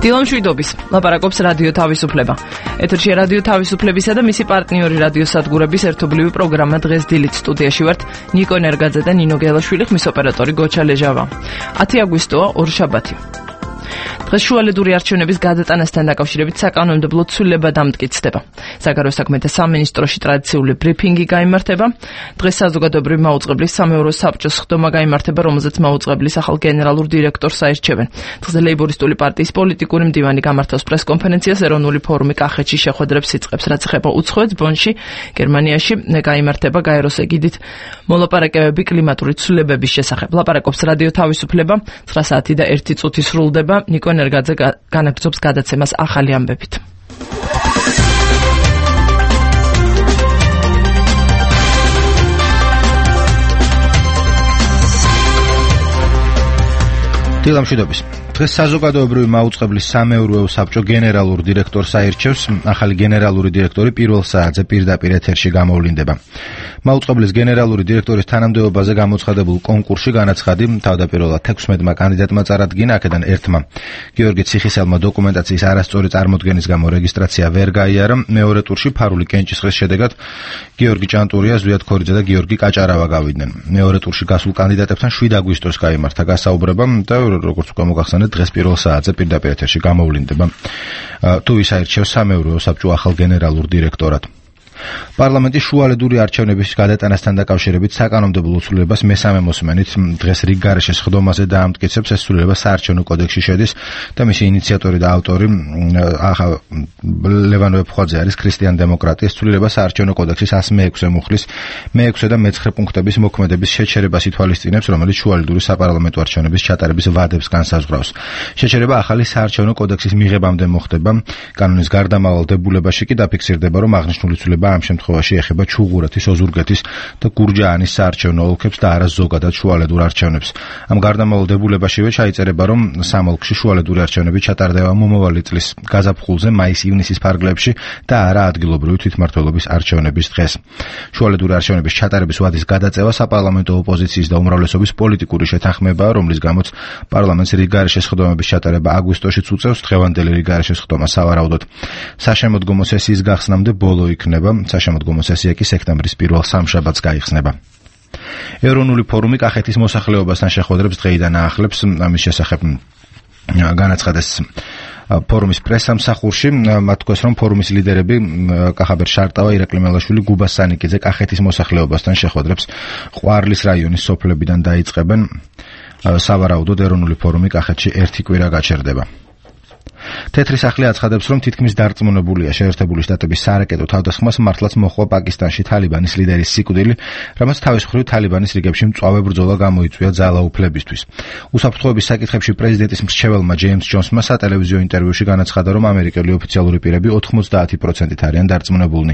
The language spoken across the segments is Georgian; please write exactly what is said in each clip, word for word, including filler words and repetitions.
დილამ შვიდობის, ლაპარაკობს რადიო თავისუფლება. ეთერში რადიო თავისუფლებისა და მისი პარტნიორი რადიო სადგურების ერთობლივი პროგრამა დღეს დილით სტუდიაში ვართ ნიკო ნერგაძე და ნინო გელაშვილი, ხმის ოპერატორი გოჩა ლეჟავა. ათი აგვისტოა, ორშაბათი. დღეს შუალედური არჩევნების გადატანასთან დაკავშირებით საკანონმდებლო ცვლილება დამტკიცდება. საგარეო საქმეთა სამინისტროში ტრადიციული ბრიფინგი გაიმართება. დღეს საზოგადოებრივი მაუწყებლის სამეურო საბჭოს ხდომა გაიმართება, რომელზეც მაუწყებლის ახალ გენერალურ დირექტორს აირჩევენ. დღეს ლეიბორისტული პარტიის პოლიტიკური მდივანი გამართავს პრესკონფერენციას. ეროვნული ფორუმი კახეთში შეხვედრებს იწყებს, რაც ეხება უცხოეთს. ბონში, გერმანიაში გაიმართება გაეროს ეგიდით მოლაპარაკებები კლიმატური ცვლილებების შესახებ. ლაპარაკობს რადიო თავისუფლება. ცხრა საათი და ერთი წუთი სრულდება. ნიკო ნერგაძე განაგრძობს გადაცემას ახალი ამბებით. დილამ შვიდობის. დღეს საზოგადოებრივი მაუწყებლის სამეურვეო საბჭო გენერალურ დირექტორს აირჩევს. ახალი გენერალური დირექტორი პირველ საათზე პირდაპირ ეთერში გამოვლინდება. მაუწყებლის გენერალური დირექტორის თანამდებობაზე გამოცხადებულ კონკურსში განაცხადი თავდაპირველად ექვსმეტმა კანდიდატმა წარადგინა, აქედან ერთმა გიორგი ციხისელმა დოკუმენტაციის არასწორი წარმოდგენის გამო რეგისტრაცია ვერ გაიარა. მეორე ტურში ფარული კენჭისყრის შედეგად გიორგი ჭანტურია, ზვიად ქორიძე და გიორგი კაჭარავა გავიდნენ. მეორე ტურში გასულ კანდიდატებთან შვიდ აგვისტოს გაიმართა გასაუბრება და როგორც უკვე მოგახსენეთ, დღეს პირველ საათზე პირდაპირ ეთერში გამოვლინდება. თუ ვის აირჩევს სამეურვეო საბჭო ახალ გენერალურ დირექტორად. პარლამენტის შუალედური არჩევნების გადატანასთან დაკავშირებით საკანონმდებლო ცვლილებას მესამე მოსმენით დღეს რიგ გარეშეს ხდომაზე დაამტკიცებს. ეს ცვლილება საარჩევნო კოდექსში შედის და მისი ინიციატორი და ავტორი ლევან ვეფხვაძე არის, ქრისტიან დემოკრატი. ეს ცვლილება საარჩევნო კოდექსის ასი მეექვსე მუხლის მეექვსე და მეცხრე პუნქტების მოქმედების შეჩერებას ითვალისწინებს, რომელიც შუალედური საპარლამენტო არჩევნების ჩატარების ვადებს განსაზღვრავს. შეჩერება ახალი საარჩევნო კოდექსის მიღებამდე მოხდება. კანონის გარდამავალ დებულებაში კი დაფიქსირდება, რომ აღნიშნული ცვლილება ამ შემთხვევაში ეხება ჩუღურეთის, ოზურგეთის და გურჯაანის საარჩევნო ოლქებს და არა ზოგადად შუალედურ არჩევნებს. ამ გარდამავალ დებულებაშივე ჩაიწერება, რომ სამ ოლქში შუალედური არჩევნები ჩატარდება მომავალი წლის გაზაფხულზე, მაის-ივნისის ფარგლებში და არა ადგილობრივი თვითმმართველობის არჩევნების დღეს. შუალედური არჩევნების ჩატარების ვადის გადაწევა საპარლამენტო ოპოზიციის და უმრავლესობის პოლიტიკური შეთანხმებაა, რომლის გამოც პარლამენტს რიგ გარეშეს ხდომების ჩატარება აგვისტოშიც უწევს. დღევანდელი რიგ გარეშეს ხდომა სავარაუდოდ საშემოდგომო სესიის გახსნამდე ბოლო იქნება. საშემოდგომო სესია კი სექტემბრის პირველ სამშაბათს გაიხსნება. ეროვნული ფორუმი კახეთის მოსახლეობასთან შეხვედრებს დღეიდან აახლებს. ამის შესახებ განაცხადეს ფორუმის პრესსამსახურში. მათ თქვეს, რომ ფორუმის ლიდერები კახაბერ შარტავა, ირაკლი მელაშვილი, გუბა სანიკიძე კახეთის მოსახლეობასთან შეხვედრებს ყვარლის რაიონის სოფლებიდან დაიწყებენ. სავარაუდოდ ეროვნული ფორუმი კახეთში ერთი კვირა გაჩერდება. თეთრი სახლი აცხადებს, რომ თითქმის დარწმუნებულია შეერთებული შტატების სარაკეტო თავდასხმას მართლაც მოხდა პაკისტანში თალიბანის ლიდერის სიკვდილი, რამაც თავის მხრივ თალიბანის რიგებში მწვავე ბრძოლა გამოიწვია ძალაუფლებისთვის. უსაფრთხოების საკითხებში პრეზიდენტის მრჩეველმა ჯეიმს ჯონსმა სატელევიზიო ინტერვიუში განაცხადა, რომ ამერიკელი ოფიციალური პირები ოთხმოცდაათი პროცენტით არიან დარწმუნებულნი.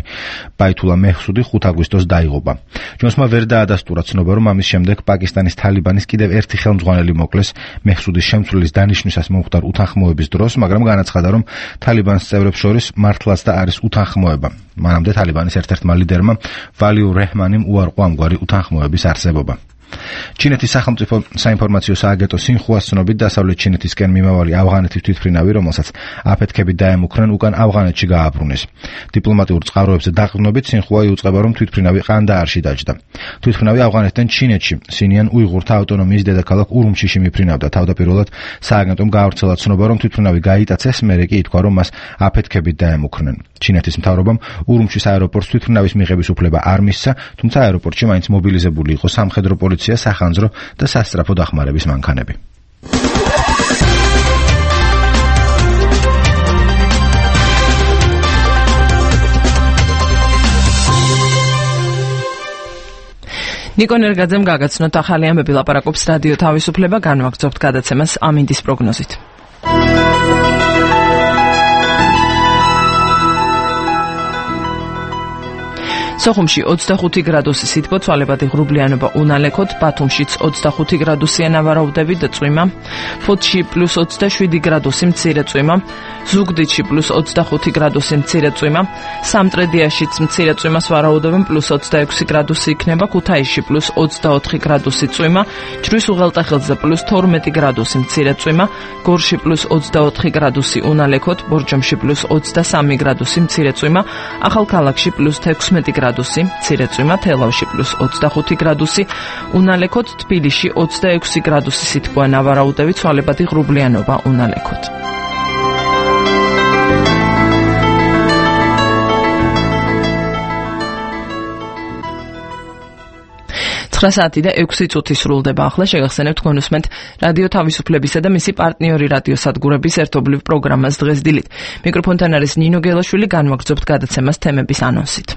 ბაითულა მეჰსუდი ხუთ აგვისტოს დაიღუპა. ჯონსმა ვერ დაადასტურა ცნობა, რომ ამის შემდეგ პაკისტანის თალიბანის კიდევ ერთი ხელმძღვანელი მოკლეს მეჰსუდის შემცვლილის დანიშვნისას მომხდარ უთანხმოების დროს, მაგრამ განაცხადა, რომ თალიბანის წევრებს შორის მართლაც და არის უთანხმოება. მანამდე თალიბანის ერთ-ერთმა ლიდერმა ვალიურ რეჰმანიმ უარყო ამგვარი უთანხმოების არსებობა. ჩინეთის სახელმწიფო საინფორმაციო სააგენტო სინხუას ცნობით, დასავლეთ ჩინეთისკენ მიმავალი ავღანეთის თვითმფრინავი, რომელსაც აფეთქებით დაემუქრნენ, უკან ავღანეთში გააბრუნეს. დიპლომატიურ წყაროებზე დაყრდნობით სინხუა იუწყება, რომ თვითმფრინავი ყანდაარში დაჯდა. თვითმფრინავი ავღანეთიდან ჩინეთში, სინიან უიღურთა ავტონომიის დედაქალაქ ურუმჩიში მიფრინავდა. თავდაპირველად სააგენტომ გაავრცელა ცნობა, რომ თვითმფრინავი გაიტაცეს, მერე კი ითქვა, რომ მას აფეთქებით დაემუქრნენ. ჩინეთის მთავრობამ ურუმჩის აეროპორტს თვითმფრინავის მიღების უფლება არ მისცა, თუმცა აეროპორტში მაინც მობილიზებული იყო სამხედრო პოლიცია, სახანძრო და სასწრაფო დახმარების მანქანები. ნიკო ნერგაძემ გაგაცნოთ ახალი ამბები, ლაპარაკობს რადიო თავისუფლება. განვაგრძობთ გადაცემას ამინდის პროგნოზით. სოხუმში ოცდახუთი გრადუსი სითბო, ცვალებადი ღრუბლიანობა უნალექოდ, ბათუმშიც ოცდახუთი გრადუსია ნავარაუდები და წვიმა, ფოთში პლუს ოცდაშვიდი გრადუსი მცირე წვიმა, ზუგდიდში პლუს ოცდახუთი გრადუსი მცირე წვიმა, სამტრედიაშიც მცირე წვიმას ვარაუდობენ პლუს ოცდაექვსი გრადუსი იქნება, ქუთაისში პლუს ოცდაოთხი გრადუსი წვიმა, ჯვრის უღელტეხილზე პლუს თორმეტი გრადუსი მცირე წვიმა, გორში პლუს ოცდაოთხი გრადუსი უნალექოდ, ბორჯომში პლუს ოცდასამი გრადუსი მცირე წვიმა, ახალქალაქში პლუს თექვსმეტი გრადუსი მცირე წვიმა, თელავში პლუს ოცდახუთი გრადუსი უნალექოდ, თბილისში ოცდაექვსი გრადუსი სითბოა ნავარაუდები, ცვალებადი ღრუბლიანობა უნალექოდ. ცხრა საათი და ექვსი წუთი სრულდება ახლა, შეგახსენებთ თქვენ უსმენთ რადიო თავისუფლებისა და მისი პარტნიორი რადიოსადგურების ერთობლივ პროგრამას დღეს დილით. მიკროფონთან არის ნინო გელაშვილი, განვაგრძობთ გადაცემას თემების ანონსით.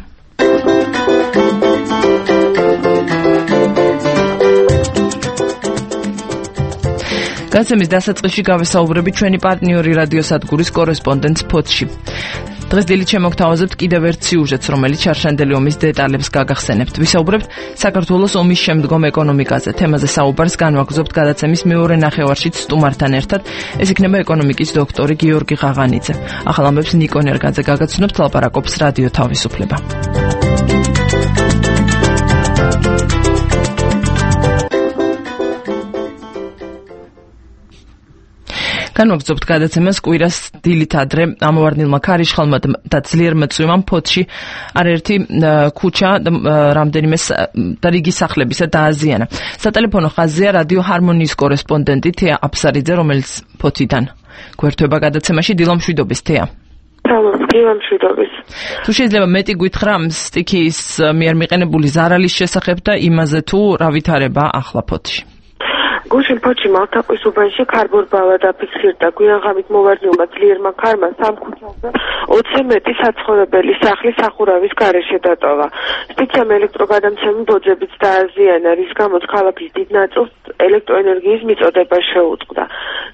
გადაცემის დასაწყისში გავესაუბრებით ჩვენი პარტნიორი რადიოსადგურის კორესპონდენტს ფოთში. დღეს დილით შემოგთავაზებთ კიდევ ერთ სიუჟეტს, რომელიც შარშანდელი ომის დეტალებს გაგახსენებთ. ვისაუბრებთ საქართველოს ომის შემდგომ ეკონომიკაზე. თემაზე საუბარს განვაგრძობთ გადაცემის მეორე ნახევარშიც სტუმართან ერთად. ეს იქნება ეკონომიკის დოქტორი გიორგი ღაღანიძე. ახალ ამბებს ნიკო ნერგაძე გაგაცნობთ, ლაპარაკობს რადიო თავისუფლება. განვაგრძობთ გადაცემას კვირას დილით ადრე ამოვარდნილმა ქარიშხალმა და ძლიერმა წვიმამ ფოთში არაერთი ქუჩა და რამდენიმე და რიგი სახლებისა დააზიანა. სატელეფონო ხაზია რადიო ჰარმონიის კორესპონდენტი თეა აფსარიძე, რომელიც ფოთიდან გვერდება გადაცემაში. დილამშვიდობის თეა. დილამშვიდობის. თუ შეიძლება მეტი გითხრა სტიქიის მიერ მიყენებული ზარალის შესახებ და იმაზე თუ რა ვითარება ახლა ფოთში. გუშინ ფოთში მალთაყვის უბანში ქარბორბალა დაფიქსირდა. გვიანღამით მოვარდნილმა ძლიერმა ქარმა სამ ქუჩაზე ოცი მეტი საცხოვრებელი სახლი სახურავის გარეშე დატოვა. სტიქიამ ელექტროგადამცემი ბოძებიც დააზიანა, რის გამოც ქალაქის დიდ ნაწილს ელექტროენერგიის მიწოდება შეუწყდა.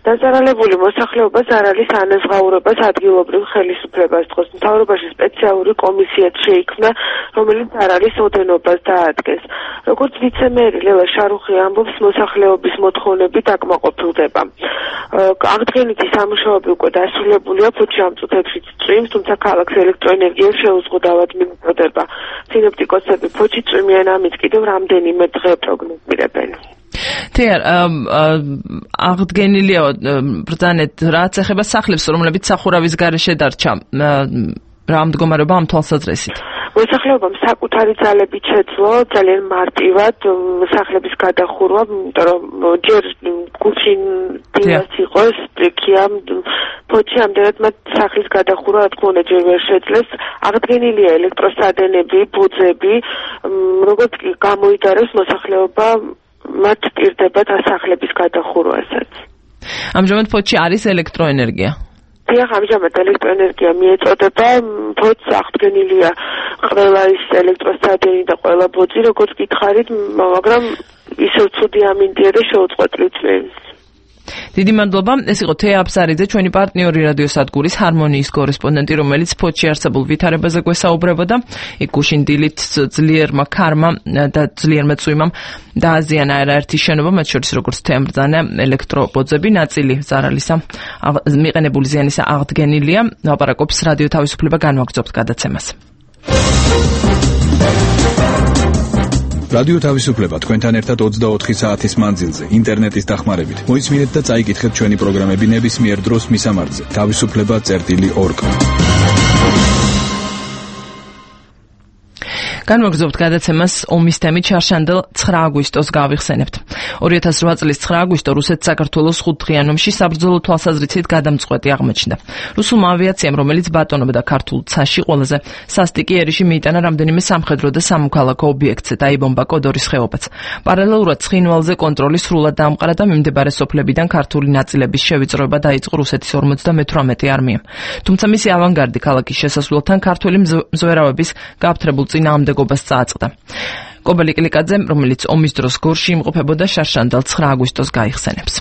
დაზარალებული მოსახლეობა ზარალის ანაზღაურებას ადგილობრივ ხელისუფლებას თხოვს. მთავრობაში სპეციალური კომისიაც შეიქმნა, რომელიც ზარალის ოდენობას დაადგენს. როგორც ვიცე-მერი ლელა შარუხი ამბობს, მოსახლეობის მოთხოვნები დაკმაყოფილდება. აღდგენითი სამუშაოები უკვე დასრულებულია, ფოთში ამ წუთებში წვიმს, თუმცა ქალაქს ელექტროენერგია შეუზღუდავად მიუწოდება. სინოპტიკოსები ფოთში წვიმიან ამით კიდევ რამდენიმე დღე პროგნოზირებენ. თეა, აღდგენილია ბრძანეთ რაც ეხება სახლებს, რომლებიც სახურავის გარეშე დარჩა. რა მდგომარეობა ამ თვალსაზრისით? მოსახლეობამ საკუთარი ძალებით შეძლო ძალიან მარტივად სახლების გადახურვა, იმიტომ რომ ჯერ გუშინ დილას იყო სტიქია, ფოთში ამდენად მათ სახლის გადახურვა რა თქმა უნდა ჯერ ვერ შეძლეს. აღდგენილია ელექტროსადენები, ბუძები, როგორც კი გამოიდარეს მოსახლეობა მათ პირდებათ სახლების გადახურვასაც. ამჟამად ფოთში არის ელექტროენერგია. დიახ, ამჟამად ელექტროენერგია მიეწოდება, ფოთს აღდგენილია ყველა ის ელექტროსადენი და ყველა ბოძი, როგორც გითხარით, მაგრამ ისევ ცუდი ამინდია და შეუწყვეტლი წვიმს. დიდი მადლობა. ეს იყო თეა აფსარიძე, ჩვენი პარტნიორი რადიოსადგურის ჰარმონიის კორესპონდენტი, რომელიც ფოთში არსებულ ვითარებაზე გვესაუბრებოდა. იქ გუშინ დილით ძლიერმა ქარმა და ძლიერმა წვიმამ დააზიანა არაერთი შენობა, მათ შორის როგორც თეამ ბრძანა ელექტრობოძები, ნაწილი ზარალისა მიყენებული ზიანისა აღდგენილია. ლაპარაკობს რადიო თავისუფლება, განვაგრძობთ გადაცემას. რადიო თავისუფლება თქვენთან ერთად ოცდაოთხი საათის მანძილზე ინტერნეტის დახმარებით. მოისმინეთ და წაიკითხეთ ჩვენი პროგრამები ნებისმიერ დროს მისამართზე თავისუფლება წერტილი ორ კ. განვაგრძობთ გადაცემას ომის თემით შარშანდელ ცხრა აგვისტოს გავიხსენებთ. ორი ათას რვა წლის ცხრა აგვისტო რუსეთ-საქართველოს ხუთდღიან ომში საბრძოლო თვალსაზრისით გადამწყვეტი აღმოჩნდა. რუსულმა ავიაციამ, რომელიც ბატონობდა ქართულ ცაში, ყველაზე სასტიკი ერიში მიიტანა რამდენიმე სამხედრო და სამოქალაქო ობიექტზე, დაიბომბა კოდორის ხეობაც. პარალელურად ცხინვალზე კონტროლი სრულად დაამყარა და მიმდებარე სოფლებიდან ქართული ნაწილების შევიწროება დაიწყო რუსეთის ორმოცდამეთვრამეტე არმიამ. თუმცა მისი ავანგარდი ქალაქის შესასვლელთან ქართველი მზვერავების გააფთრებულ წინააღმდეგობას წააწყდა. კობელი კლიკაძე, რომელიც ომის დროს გორში იმყოფებოდა, შარშანდელ ცხრა აგვისტოს გაიხსენებს.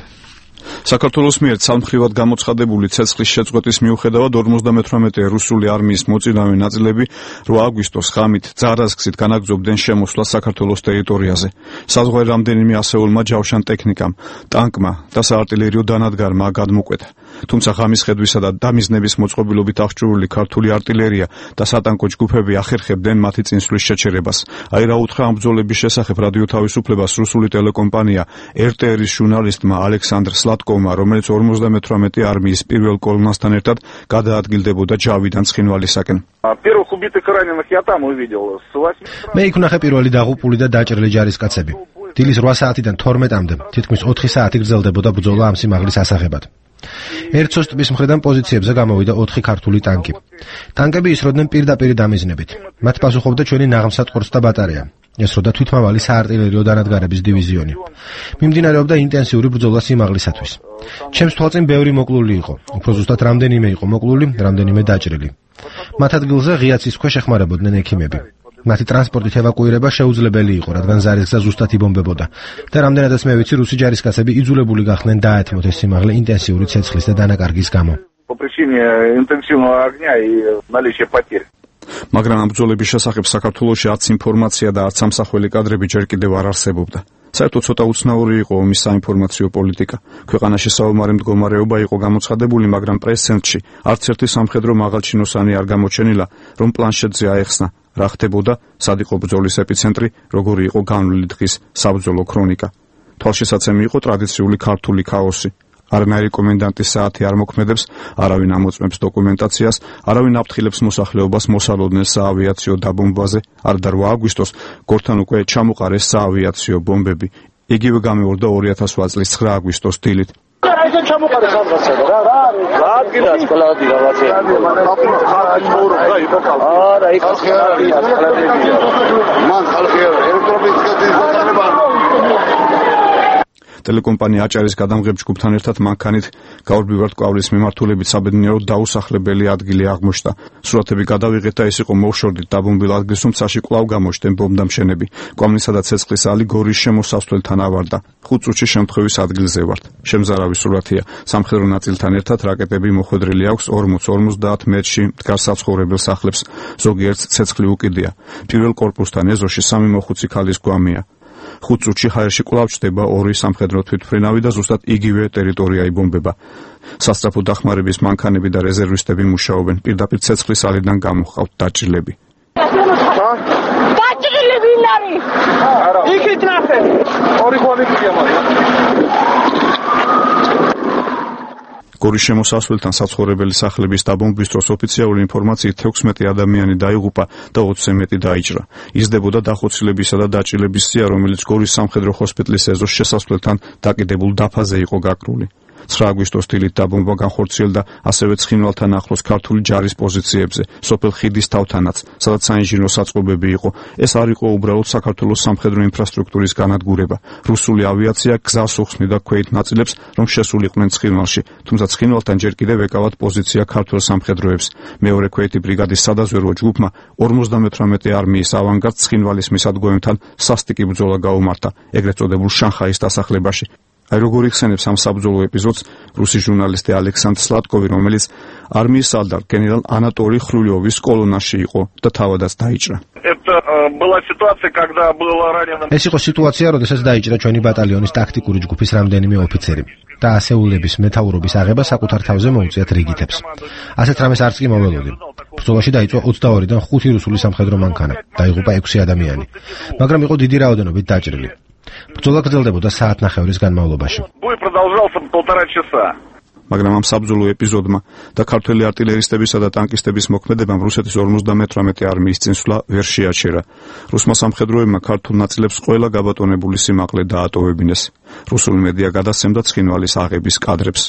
საქართველოს მიერ ცალმხრივად გამოცხადებული ცეცხლის შეწყვეტის მიუხედავად ორმოცდამეთვრამეტე რუსული არმიის მოწინავე ნაწილები რვა აგვისტოს ღამით ძარაზგსით განაგრძობდნენ შემოსვლას საქართველოს ტერიტორიაზე. საზღვარი რამდენიმე ასეულმა ჯავშან ტექნიკამ, ტანკმა და საარტილერიო დანადგარმა გადმოკვეთა. თუმცა ღამის ხედვისა და დამიზნების მოწყობილობით აღჭურვილი ქართული არტილერია და სატანკო ჯგუფები ახერხებდნენ მათი წინსვლის შეჩერებას. აი რა უთხრა ამ ბრძოლების შესახებ რადიო თავისუფლებას რუსული ტელეკომპანია er te er-ის ჟურნალისტმა ალექსანდრ სლატკოვმა, რომელიც ორმოცდამეთვრამეტე არმიის პირველ კოლონასთან ერთად გადაადგილდებოდა ჯავიდან ცხინვალისაკენ. მე იქ ვნახე პირველი დაღუპული და დაჭრილი ჯარისკაცები. დილის რვა საათიდან თორმეტამდე თითქმის ოთხი საათი გრძელდებოდა ბრძოლა ამ სიმაღლის ასაღებად. ერცოს ტბის მხრიდან პოზიციებზე გამოვიდა ოთხი ქართული ტანკი. ტანკები ისროდნენ პირდაპირ დამიზნებით. მათ პასუხობდა ჩვენი ნაღმსატყორს და ბატარეა. ესროდა თვითმავალი საარტილერიო დანადგარების დივიზიონი. მიმდინარეობდა ინტენსიური ბრძოლა სიმაღლისათვის. ჩემს თვალწინ ბევრი მოკლული იყო. უფრო ზუსტად რამდენიმე იყო მოკლული, რამდენიმე დაჭრილი. მათ ადგილზე ღიაცის ქვეშ ეხმარებოდნენ ექიმები. მათი ტრანსპორტით ევაკუირება შეუძლებელი იყო, რადგან ზარისგზა ზუსტად იბომბებოდა და რამდენადაც მე ვიცი, რუსი ჯარისკაცები იძულებული გახდნენ დაეთმოთ ეს სიმაღლე ინტენსიური ცეცხლის და დანაკარგის გამო. მაგრამ ამ ბრძოლების შესახებ საქართველოში არც ინფორმაცია და არც სამსახველი კადრები ჯერ კიდევ არ არსებობდა. საერთოდ ცოტა უცნაური იყო ომის საინფორმაციო პოლიტიკა. ქვეყანაში საომარი მდგომარეობა იყო გამოცხადებული, მაგრამ პრეს-ცენტრში არც ერთი სამხედრო მაღალჩინოსანი არ გამოჩენილა, რომ პლანშეტზე აეხსნა რა ხდებოდა, სად იყო ბრძოლის ეპიცენტრი, როგორი იყო განვლილი დღის საბრძოლო ქრონიკა. თვალშესაცემი იყო ტრადიციული ქართული ქაოსი. არანაირი კომენდანტის საათი არ მოქმედებს, არავინ ამოწმებს დოკუმენტაციას, არავინ აფრთხილებს მოსახლეობას მოსალოდნელ საავიაციო დაბომბვაზე. არ და რვა აგვისტოს გორთან უკვე ჩამოყარეს საავიაციო ბომბები. იგივე გამეორდა ორი ათას ოთხ წლის ცხრა აგვისტოს დილით. რაიზე ჩამოყარეს რაღაცა რა რა რა ადგილას კლადი რაღაცა არა იქ ხალხი მან ხალხი ეროვნულ ტელეკომპანია აჭარის გადამღებ ჯგუფთან ერთად მანქანით გაურბივართ კვავლის მიმართულებით საბედნიეროდ დაუსახლებელი ადგილი აღმოჩნდა. სურათები გადავიღეთ და ეს იყო მოუშორდით დაბომბილ ადგილს, თუმცაში კვლავ გამოჩნდნენ ბომბდამშენები. კვამლისა და ცეცხლის ალი გორის შემოსასვლელთან ავარდა. ხუთ წუთში შემთხვევის ადგილზე ვართ. შემზარავი სურათია. სამხედრო ნაწილთან ერთად რაკეტები მოხვედრილი აქვს ორმოც ორმოცდაათ მეტრში მდგარ საცხოვრებელ სახლებს. ზოგიერთს ცეცხლი უკიდია. პირველ კორპუსთან ეზოში სამი მოხუცი ქალის გვამია. ხუთ წუთში ჰაერში კვლავ ჩდება ორი სამხედრო თვითმფრინავი და ზუსტად იგივე ტერიტორია იბომბება. სასწრაფო დახმარების მანქანები და რეზერვისტები მუშაობენ. პირდაპირ ცეცხლის ალიდან გამოჰყავთ დაჭრილები. დაჭრილები ვინ არის? იქით ნახე. ორი გონებია მაგრამ. გორის შემოსასვლელთან საცხოვრებელი სახლების დაბომბვის დროს ოფიციალური ინფორმაციით თექვსმეტი ადამიანი დაიღუპა და ოცზე მეტი დაიჭრა. იზრდებოდა დახოცილებისა და დაჭრილების სია, რომელიც გორის სამხედრო ჰოსპიტალის ეზოს შესასვლელთან დაკიდებულ დაფაზე იყო გაკრული. ცხრა აგვისტოს დილით დაბომბვა განხორციელდა ასევე ცხინვალთან ახლოს ქართული ჯარის პოზიციებზე, სოფელ ხიდის თავთანაც, სადაც საინჟინრო საწყობები იყო. ეს არ იყო უბრალოდ საქართველოს სამხედრო ინფრასტრუქტურის განადგურება. რუსული ავიაცია გზას უხსნიდა ქვეით ნაწილებს, რომ შესულიყვნენ ცხინვალში, თუმცა ცხინვალთან ჯერ კიდევ ეკავათ პოზიცია ქართულ სამხედროებს. მეორე ქვეითი ბრიგადის სადაზვერვო ჯგუფმა ორმოცდამეთვრამეტე არმიის ავანგარდს ცხინვალის მისადგომებთან სასტიკი ბრძოლა გაუმართა, ეგრეთ წოდებულ შანხაის დასახლებაში. აი როგორ იხსენებს ამ საბრძოლო ეპიზოდს რუსი ჟურნალისტი ალექსანდრ სლატკოვი, რომელიც არმიის სალდარ გენერალ ანატოლი ხრულიოვის კოლონაში იყო და თავადაც დაიჭრა. ეს იყო სიტუაცია, როდესაც დაიჭრა ჩვენი ბატალიონის ტაქტიკური ჯგუფის რამდენიმე ოფიცერი და ასეულების მეთაურობის აღება საკუთარ თავზე მოუწიათ რიგითებს. ასეთ რამეს არც კი მოველოდი. ბრძოლაში დაიწყო ოცდაორიდან ხუთი რუსული სამხედრო მანქანა, დაიღუპა ექვსი ადამიანი, მაგრამ იყო დიდი რაოდენობით დაჭრილი. ბრძოლა გრძელდებოდა საათნახევრის განმავლობაში. მაგრამ ამ საბრძოლო ეპიზოდმა და ქართველი არტილერისტებისა და ტანკისტების მოქმედებამ რუსეთის ორმოცდამეთვრამეტე არმიის წინსვლა ვერ შეაჩერა. რუსმა სამხედროებმა ქართულ ნაწილებს ყველა გაბატონებული სიმაღლე დაატოვებინეს. რუსული მედია გადასცემდა ცხინვალის აღების კადრებს.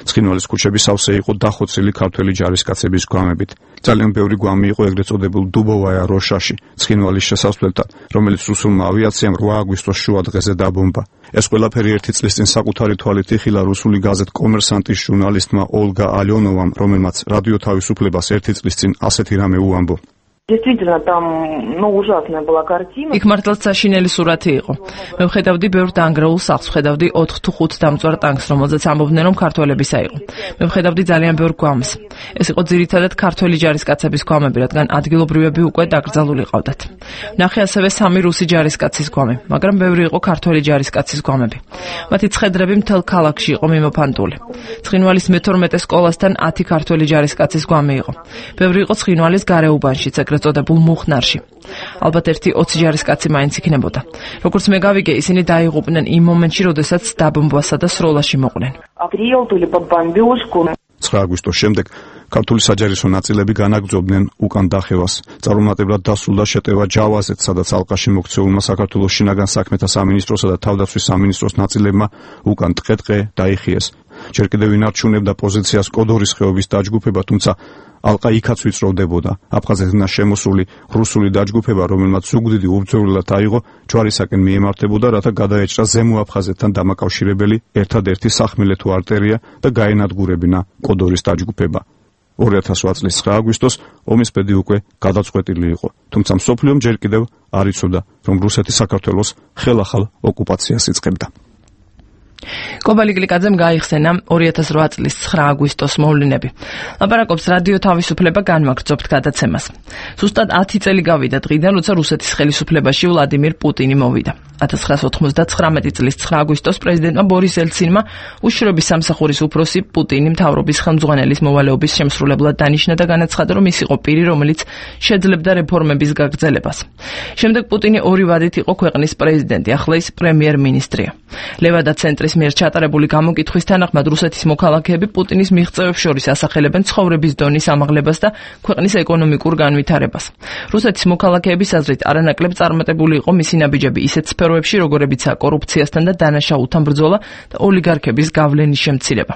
ცხინვალის ქუჩები სავსე იყო დახოცილი ქართველი ჯარისკაცების გვამებით. ძალიან ბევრი გვამი იყო ეგრეთ წოდებულ დუბოვაია როშაში, ცხინვალის შესასვლელთან, რომელიც რუსულმა ავიაციამ რვა აგვისტოს შუა დღეზე დაბომბა. ეს ყველაფერი ერთი წლის წინ საკუთარი თვალით იხილა რუსული გაზეთ კომერსანტის ჟურნალისტმა ოლგა ალიონოვამ, რომელმაც რადიო თავისუფლებას ერთი წლის წინ ასეთი რამე უამბო. Действительно, там, ну, ужасная была картина. იქ მართლაც საშინელი სურათი იყო. მე ვხედავდი ბევრ დანგრეულ სახლს, ვხედავდი ოთხ თუ ხუთ დამწვარ ტანკს, რომელზეც ამბობდნენ, რომ ქართველებისა იყო. მე ვხედავდი ძალიან ბევრ გვამს. ეს იყო ძირითადად ქართველი ჯარისკაცების გვამები, რადგან ადგილობრივები უკვე დაკრძალული ყავდათ. ვნახე ასევე სამი რუსი ჯარისკაცის გვამი, მაგრამ ბევრი იყო ქართველი ჯარისკაცის გვამები. მათი ცხედრები მთელ ქალაქში იყო მიმოფანტული. ცხინვალის მეთორმეტე სკოლასთან ათი ქართველი ჯარისკაცის გვამი იყო. ბევრი იყო ცხინვალის გარეუბანშიც, ეგრეთ წოდებულ მუხნარში. ალბათ ერთი ოცი ჯარისკაცი მაინც იქნებოდა. როგორც მე გავიგე, ისინი დაიღუპნენ იმ მომენტში, როდესაც დაბომბვასა და სროლაში მოყვნენ. ცხრა აგვისტოს შემდეგ ქართული საჯარისო ნაწილები განაგრძობდნენ უკან დახევას. წარუმატებლად დასრულდა შეტევა ჯავაზეთ, სადაც ალყაში მოქცეულმა საქართველოს შინაგან საქმეთა სამინისტროსა და თავდაცვის სამინისტროს ნაწილებმა უკან ტყე-ტყე დაიხიეს. ჯერ კიდევ ინარჩუნებდა პოზიციას კოდორის ხეობის დაჯგუფება, თუმცა ალყა იქაც ვიწროვდებოდა. აფხაზეთიდან შემოსული რუსული დაჯგუფება, რომელმაც ზუგდიდი უბრძოლელად აიღო, ჯვარისაკენ მიემართებოდა, რათა გადაეჭრა ზემო აფხაზეთთან დამაკავშირებელი ერთადერთი სახმელეთო არტერია და გაენადგურებინა კოდორის დაჯგუფება. ორი ათას ოთხ წლის ცხრა აგვისტოს ომის ბედი უკვე გადაწყვეტილი იყო, თუმცა მსოფლიომ ჯერ კიდევ არ იცოდა, რომ რუსეთი საქართველოს ხელახალ ოკუპაციას იწყებდა. კობალი გლიკაძემ გაიხსენა ორი ათას რვა წლის ცხრა აგვისტოს მოვლენები. ლაპარაკობს რადიო თავისუფლება განმაგრძობთ გადაცემას. ზუსტად ათი წელი გავიდა დღიდან, როცა რუსეთის ხელისუფლებაში ვლადიმირ პუტინი მოვიდა. ათას ცხრაასა ოცდათხმეტი წლის ცხრა აგვისტოს პრეზიდენტმა ბორის ელცინმა უშიშროების სამსახურის უფროსი პუტინი მთავრობის ხელმძღვანელის მოვალეობის შემსრულებლად დანიშნა და განაცხადა, რომ ის იყო პირი, რომელიც შეძლებდა რეფორმების გაგრძელებას. შემდეგ პუტინი ორი ვადით იყო ქვეყნის პრეზიდენტი, ახლა ის პრემიერ-მინისტრია. ლევადა ცენტრის მიერ ჩატარებული გამოკითხვის თანახმად რუსეთის მოქალაქეები პუტინის მიღწევებს შორის ასახელებენ ცხოვრების დონის ამაღლებას და ქვეყნის ეკონომიკურ განვითარებას. რუსეთის მოქალაქეების აზრით არანაკლებ წარმატებული იყო მისი ნაბიჯები ისეთ სფეროებში, როგორებიცაა კორუფციასთან და დანაშაულთან ბრძოლა და ოლიგარქების გავლენის შემცირება.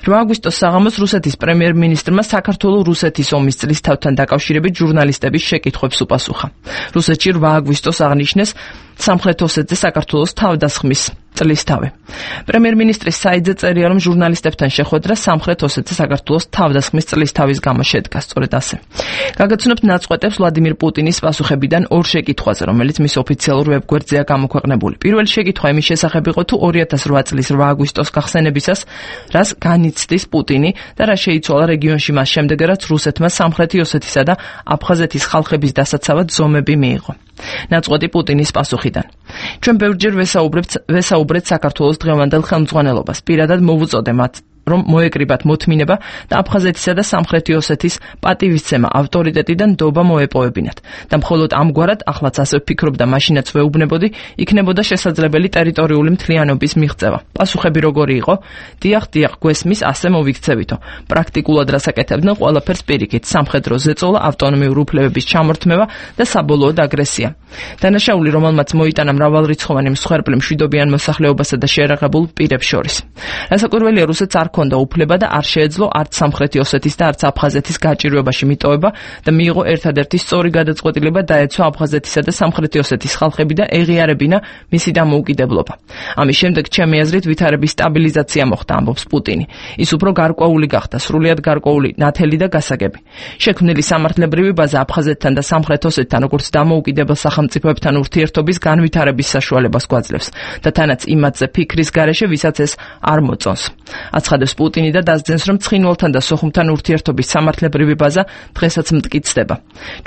რვა აგვისტოს საღამოს რუსეთის პრემიერ-მინისტრმა საქართველო-რუსეთის ომის წლისთავთან დაკავშირებით ჟურნალისტების შეკითხვებს უპასუხა. რუსეთში რვა აგვისტოს აღნიშნეს სამხრეთ ოსეთზე საქართველოს თავდასხმის წლისთავი. პრემიერ-მინისტრის საიტზე წერია, რომ ჟურნალისტებთან შეხვედრა სამხრეთ ოსეთზე საქართველოს თავდასხმის წლისთავის გამო შედგა, სწორედ ასე. გაგაცნობთ ნაწყვეტებს ვლადიმირ პუტინის პასუხებიდან ორ შეკითხვაზე, რომელიც მის ოფიციალურ ვებგვერდზეა გამოქვეყნებული. პირველი შეკითხვა იმის შესახებ იყო, თუ ორი ათას რვა წლის რვა აგვისტოს გახსენებისას რას განიცდის პუტინი და რა შეიცვალა რეგიონში მას შემდეგ, რაც რუსეთმა სამხრეთი ოსეთისა და აფხაზეთის ხალხების დასაცავად ზომები მიიღო. ნაწყვეტი პუტინის პასუხიდან. ჩვენ ბევრჯერ ვესაუბრებთ ვესაუბრეთ საქართველოს დღევანდელ ხელმძღვანელობას. პირადად მოვუწოდე მათ, რომ მოეკრიბათ მოთმინება და აფხაზეთისა და სამხრეთი ოსეთის პატივისცემა ავტორიტეტიდან ნდობა მოეპოვებინათ. და მხოლოდ ამგვარად, ახლაც ასე ვფიქრობ და მაშინაც ვეუბნებოდი, იქნებოდა შესაძლებელი ტერიტორიული მთლიანობის მიღწევა. პასუხები როგორი იყო? დიახ, დიახ, გვესმის, ასე მოვიქცევითო. პრაქტიკულად რასაკეთებდნენ ყველაფერს პირიქით, სამხედრო ზეწოლა, ავტონომიური უფლებების ჩამორთმევა და საბოლოოდ აგრესია. დანაშაული, რომელმაც მოიტანა მრავალრიცხოვანი მსხვერპლი მშვიდობიან მოსახლეობასა და შეერაღებულ პირებს შორის. რასაკვირველია, რუსეთს არ ქონდა უფლება და არ შეეძლო არც სამხრეთი ოსეთის და არც აფხაზეთის გაჭირვებაში მიტოვება და მიიღო ერთადერთი სწორი გადაწყვეტილება დაეცვა აფხაზეთისა და სამხრეთი ოსეთის ხალხები და ეღიარებინა მისი დამოუკიდებლობა. ამის შემდეგ ჩემი აზრით ვითარების სტაბილიზაცია მოხდა, ამბობს პუტინი. ის უფრო გარკვეული გახდა, სრულიად გარკვეული, ნათელი და გასაგები. შექმნილი სამართლებრივი ბაზა აფხაზეთთან და სამხრეთ ოსეთთან როგორც დამოუკიდებელ სახელმწიფოებთან ურთიერთობის განვითარების საშუალებას გვაძლევს და თანაც იმათზე ფიქრის გარეშე, ვისაც ეს არ მოწონს. აცხადებს პუტინი და დასძენს, რომ ცხინვალთან და სოხუმთან ურთიერთობის სამართლებრივი ბაზა დღესაც მტკიცდება.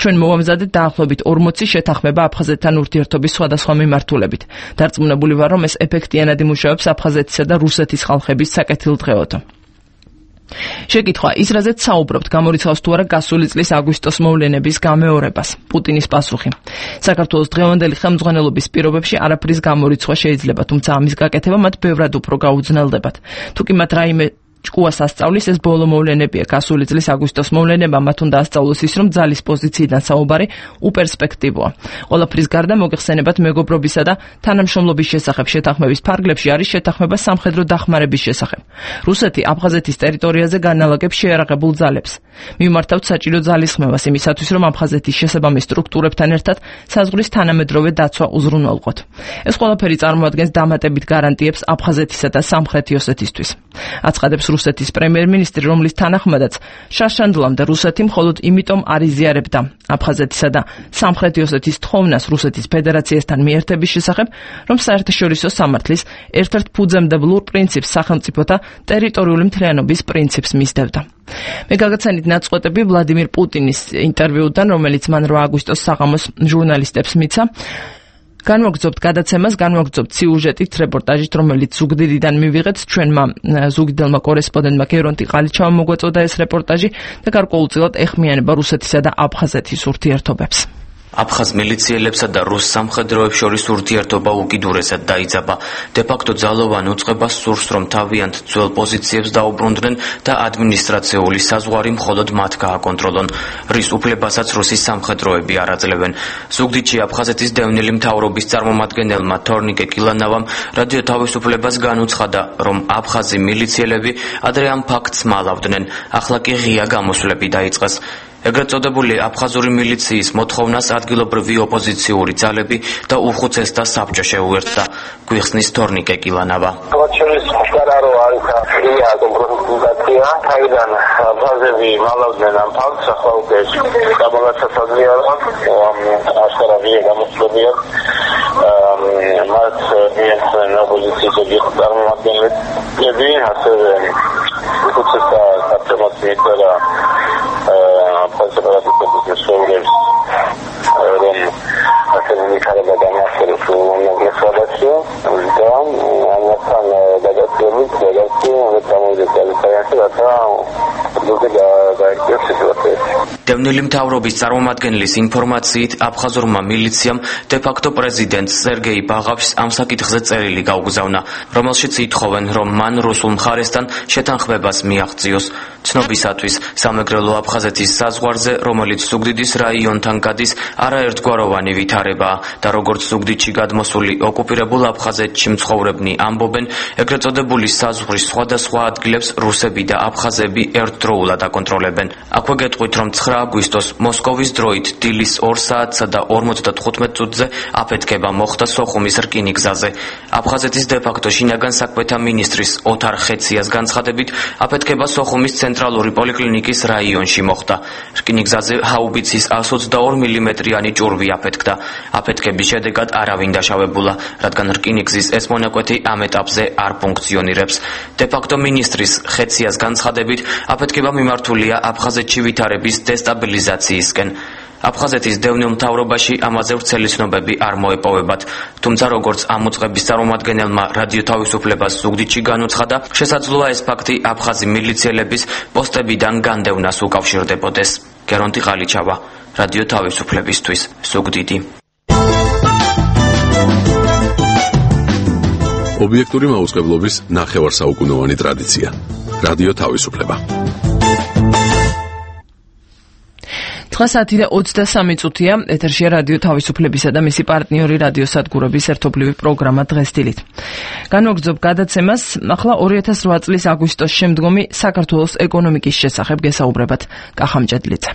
ჩვენ მოვამზადეთ დაახლოებით ორმოცი შეთანხმება აფხაზეთთან ურთიერთობის სხვადასხვა მიმართულებით. დარწმუნებული ვარ, რომ ეს ეფექტიანად იმუშავებს აფხაზეთისა და რუსეთის ხალხების საკეთილდღეოდო. შეკითხვა: ის რაზეც საუბრობთ, გამორიცხავს თუ არა გასული წლის აგვისტოს მოვლენების გამეორებას? პუტინის პასუხი: საქართველოს დღევანდელი ხელმძღვანელობის პირობებში არაფრის გამორიცხვა შეიძლება, თუმცა ამის გაკეთება მათ ბევრად უფრო გაუძნელდებათ. თუ კი მათ რაიმე ჭკუას ასწავლის, ეს ბოლო მოვლენებია. გასული წლის აგვისტოს მოვლენება მათ უნდა ასწავლოს ის, რომ ძალის პოზიციიდან საუბარი უპერსპექტივოა. ყველაფრის გარდა მოგეხსენებათ მეგობრობისა და თანამშრომლობის შესახებ შეთანხმების ფარგლებში არის შეთანხმება სამხედრო დახმარების შესახებ. რუსეთი აფხაზეთის ტერიტორიაზე განალაგებს შეიარაღებულ ძალებს. მიმართავთ საჭირო ძალისხმევას იმისათვის, რომ აფხაზეთის შესაბამის სტრუქტურებთან ერთად საზღვრის თანამედროვე დაცვა უზრუნველყოთ. ეს ყველაფერი წარმოადგენს დამატებით გარანტიებს აფხაზეთისა და სამხრეთი ოსეთისთვის. აცხადებს რუსეთის პრემიერ-მინისტრი, რომლის თანახმადაც შარშანდლამდე რუსეთი მხოლოდ იმიტომ არ იზიარებდა აფხაზეთისა და სამხრეთი ოსეთის თხოვნას რუსეთის ფედერაციასთან მიერთების შესახებ, რომ საერთაშორისო სამართლის ერთ-ერთ ფუძემდებლურ პრინციპს სახელმწიფოთა ტერიტორიული მთლიანობის პრინციპს მისდევდა. მე გაგაცანით ნაწყვეტები ვლადიმირ პუტინის ინტერვიუდან, რომელიც მან რვა აგვისტოს საღამოს ჟურნალისტებს მიცა. განვაგრძობთ გადაცემას, განვაგრძობთ სიუჟეტით, რეპორტაჟით, რომელიც ზუგდიდიდან მივიღეთ ჩვენმა ზუგდიდელმა კორესპონდენტმა გერონტი ყალიჩავმა მოგვაწოდა ეს რეპორტაჟი და გარკვეულწილად ეხმიანება რუსეთისა და აფხაზეთის ურთიერთობებს. აფხაზ მილიციელებსა და რუს სამხედროებს შორის ურთიერთობა უკიდურესად დაიძაბა. დე-ფაქტო ძალოვან უწყებას სურს, რომ თავიანთ ძველ პოზიციებს დაუბრუნდნენ და ადმინისტრაციული საზღვარი მხოლოდ მათ გააკონტროლონ. რის უფლებასაც რუსის სამხედროები არ აძლევენ. ზუგდიდში აფხაზეთის დევნილი მთავრობის წარმომადგენელმა თორნიკე კილანავამ რადიო თავისუფლებას განუცხადა, რომ აფხაზი მილიციელები ადრე ამ ფაქტს მალავდნენ. ახლა კი ღია გამოსვლები დაიწყეს. ეგრეთ წოდებული აფხაზური მილიციის მოთხოვნას ადგილობრივი ოპოზიციური ძალები და უხუცესთა საბჭო შეუერთდა. გვიხსნის თორნიკე კილანავა. შორის მშკარა არის ღია კომპრომისაცია, თავიდან აფხაზები მალავდნენ ამ ფაქტს, ახლა უკვე გამოგაცაცადია, რომ აშკარა ღია გამოსვლებია. მათ მიეცნენ ოპოზიციის წარმომადგენლები, ასევე უხუცესთა საბჭომაც მიეწერა konservatif söyleyiz. Rom akademik arada danışıyoruz. Onunla sohbetiyor. Devam. Anlatan dağıtıyoruz. Dağıtıyor. Ve tamamıyla dağıtıyoruz. Hatta burada da dağıtıyoruz. დევნილი მთავრობის წარმომადგენლის ინფორმაციით, აფხაზურმა მილიციამ დე-ფაქტო პრეზიდენტ სერგეი ბაღავს ამ საკითხზე წერილი გაუგზავნა, რომელშიც ითხოვენ, რომ მან რუსულ მხარესთან შეთანხმებას მიაღწიოს. ცნობისათვის, სამეგრელო აფხაზეთის საზღვარზე, რომელიც ზუგდიდის რაიონთან გადის, არაერთგვაროვანი ვითარებაა და როგორც ზუგდიდში გადმოსული ოკუპირებულ აფხაზეთში მცხოვრებნი ამბობენ, ეგრეთ წოდებული საზღვრის სხვადასხვა ადგილებს რუსები და აფხაზები ერთდროულად აკონტროლებენ. აქვე გეტყვით, რომ ცხრა აგვისტოს მოსკოვის დროით დილის ორ საათსა და ორმოცდათხუთმეტ წუთზე აფეთქება მოხდა სოხუმის რკინიგზაზე. აფხაზეთის დე-ფაქტო შინაგან საქმეთა მინისტრის ოთარ ხეციას განცხადებით, აფეთქება სოხუმის ცენტრალური პოლიკლინიკის რაიონში მოხდა. რკინიგზაზე ჰაუბიცის ას ოცდაორი მილიმეტრიანი ჭურვი აფეთქდა. აფეთქების შედეგად არავინ დაშავებულა, რადგან რკინიგზის ეს მონაკვეთი ამ ეტაპზე არ ფუნქციონირებს. დე-ფაქტო მინისტრის ხეციას განცხადებით, აფეთქება მიმართულია აფხაზეთში ვითარების დესტაბილიზაციისკენ. აფხაზეთის დევნილ მთავრობაში ამაზე ვრცელი ცნობები არ მოეპოვებათ, თუმცა როგორც ამ უწყების წარმომადგენელმა რადიო თავისუფლებას ზუგდიდში განუცხადა, შესაძლოა ეს ფაქტი აფხაზი მილიციელების პოსტებიდან განდევნას უკავშირდებოდეს. გერონტი ყალიჩავა, რადიო თავისუფლებისთვის, ზუგდიდი. ობიექტური მაუწყებლობის ნახევარსაუკუნოვანი ტრადიცია. რადიო თავისუფლება. დღეს ათი და ოცდასამი წუთია, ეთერშია რადიო თავისუფლებისა და მისი პარტნიორი რადიო სადგურების ერთობლივი პროგრამა დღეს დილით. განვაგრძობ გადაცემას, ახლა ორი ათას რვა წლის აგვისტოს შემდგომი საქართველოს ეკონომიკის შესახებ გესაუბრებათ. კახამჭედლიძე.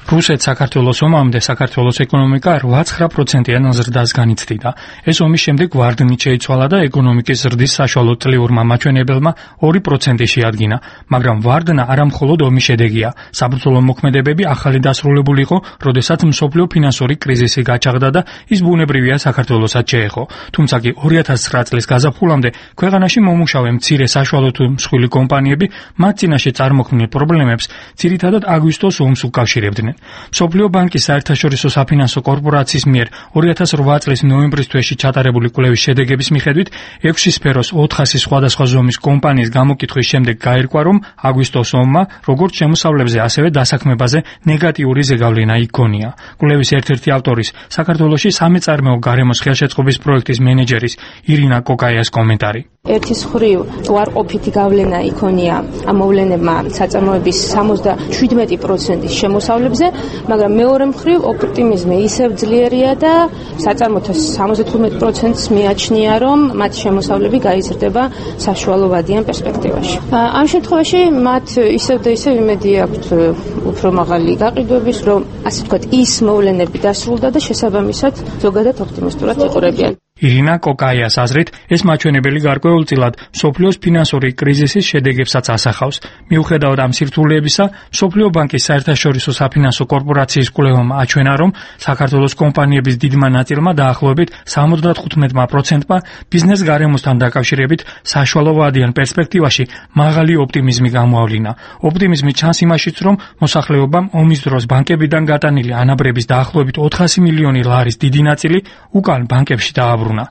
რუსეთ-საქართველოს ომამდე საქართველოს ეკონომიკა რვა-ცხრა პროცენტიან ზრდას განიცდიდა. ეს ომის შემდეგ ვარდნით შეიცვალა და ეკონომიკის ზრდის საშუალო წლიურმა მაჩვენებელმა ორი პროცენტი შეადგინა, მაგრამ ვარდნა არა მხოლოდ ომის შედეგია. საბრძოლო მოქმედებები ახალი დასრულებული იყო, როდესაც მსოფლიო ფინანსური კრიზისი გაჩაღდა და ის ბუნებრივია საქართველოსაც შეეხო. თუმცა კი ორი ათას ცხრა წლის გაზაფხულამდე ქვეყანაში მომუშავე მცირე საშუალო თუ მსხვილი კომპანიები მათ წინაშე წარმოქმნილ პრობლემებს ძირითადად აგვისტოს ომს უკავშირებდნენ. მსოფლიო ბანკის საერთაშორისო საფინანსო კორპორაციის მიერ ორი ათას რვა წლის ნოემბრის თვეში ჩატარებული კვლევის შედეგების მიხედვით ექვსი სფეროს ოთხასი სხვადასხვა ზომის კომპანიის გამოკითხვის შემდეგ გაირკვა, რომ აგვისტოს ომმა როგორც შემოსავლებზე, ასევე დასაქმებაზე ნეგატიური ზეგავლენა იქონია. კვლევის ერთ-ერთი ავტორის, საქართველოში სამეწარმეო გარემოს ხელშეწყობის პროექტის მენეჯერის ირინა კოკაიას კომენტარი. ერთის მხრივ უარყოფითი გავლენა იქონია ამ მოვლენებმა საწარმოების სამოცდაშვიდმეტი პროცენტის შემოსავლებზე, მაგრამ მეორე მხრივ ოპტიმიზმი ისევ ძლიერია და საწარმოთა სამოცდათხუთმეტი პროცენტს მიაჩნია, რომ მათი შემოსავლები გაიზრდება საშუალო ვადიან პერსპექტივაში. ამ შემთხვევაში მათ ისევ და ისევ იმედი აქვთ უფრო მაღალი გაყიდვების, რომ ასე ვთქვათ, ის მოვლენები დასრულდა და შესაბამისად ზოგადად ოპტიმისტურად იყურებიან. ირინა კოკაიას აზრით, ეს მაჩვენებელი გარკვეულწილად მსოფლიოს ფინანსური კრიზისის შედეგებსაც ასახავს. მიუხედავად ამ სირთულეებისა, მსოფლიო ბანკის საერთაშორისო საფინანსო კორპორაციის კვლევამ აჩვენა, რომ საქართველოს კომპანიების დიდმა ნაწილმა დაახლოებით ორმოცდათხუთმეტ პროცენტმა ბიზნეს გარემოსთან დაკავშირებით საშუალოვადიან პერსპექტივაში მაღალი ოპტიმიზმი გამოავლინა. ოპტიმიზმი ჩანს იმაშიც, რომ მოსახლეობამ ომის დროს ბანკებიდან გატანილი ანაბრების დაახლოებით ოთხასი მილიონი ლარის დიდი ნაწილი უკან ბანკებში დააბრუნა.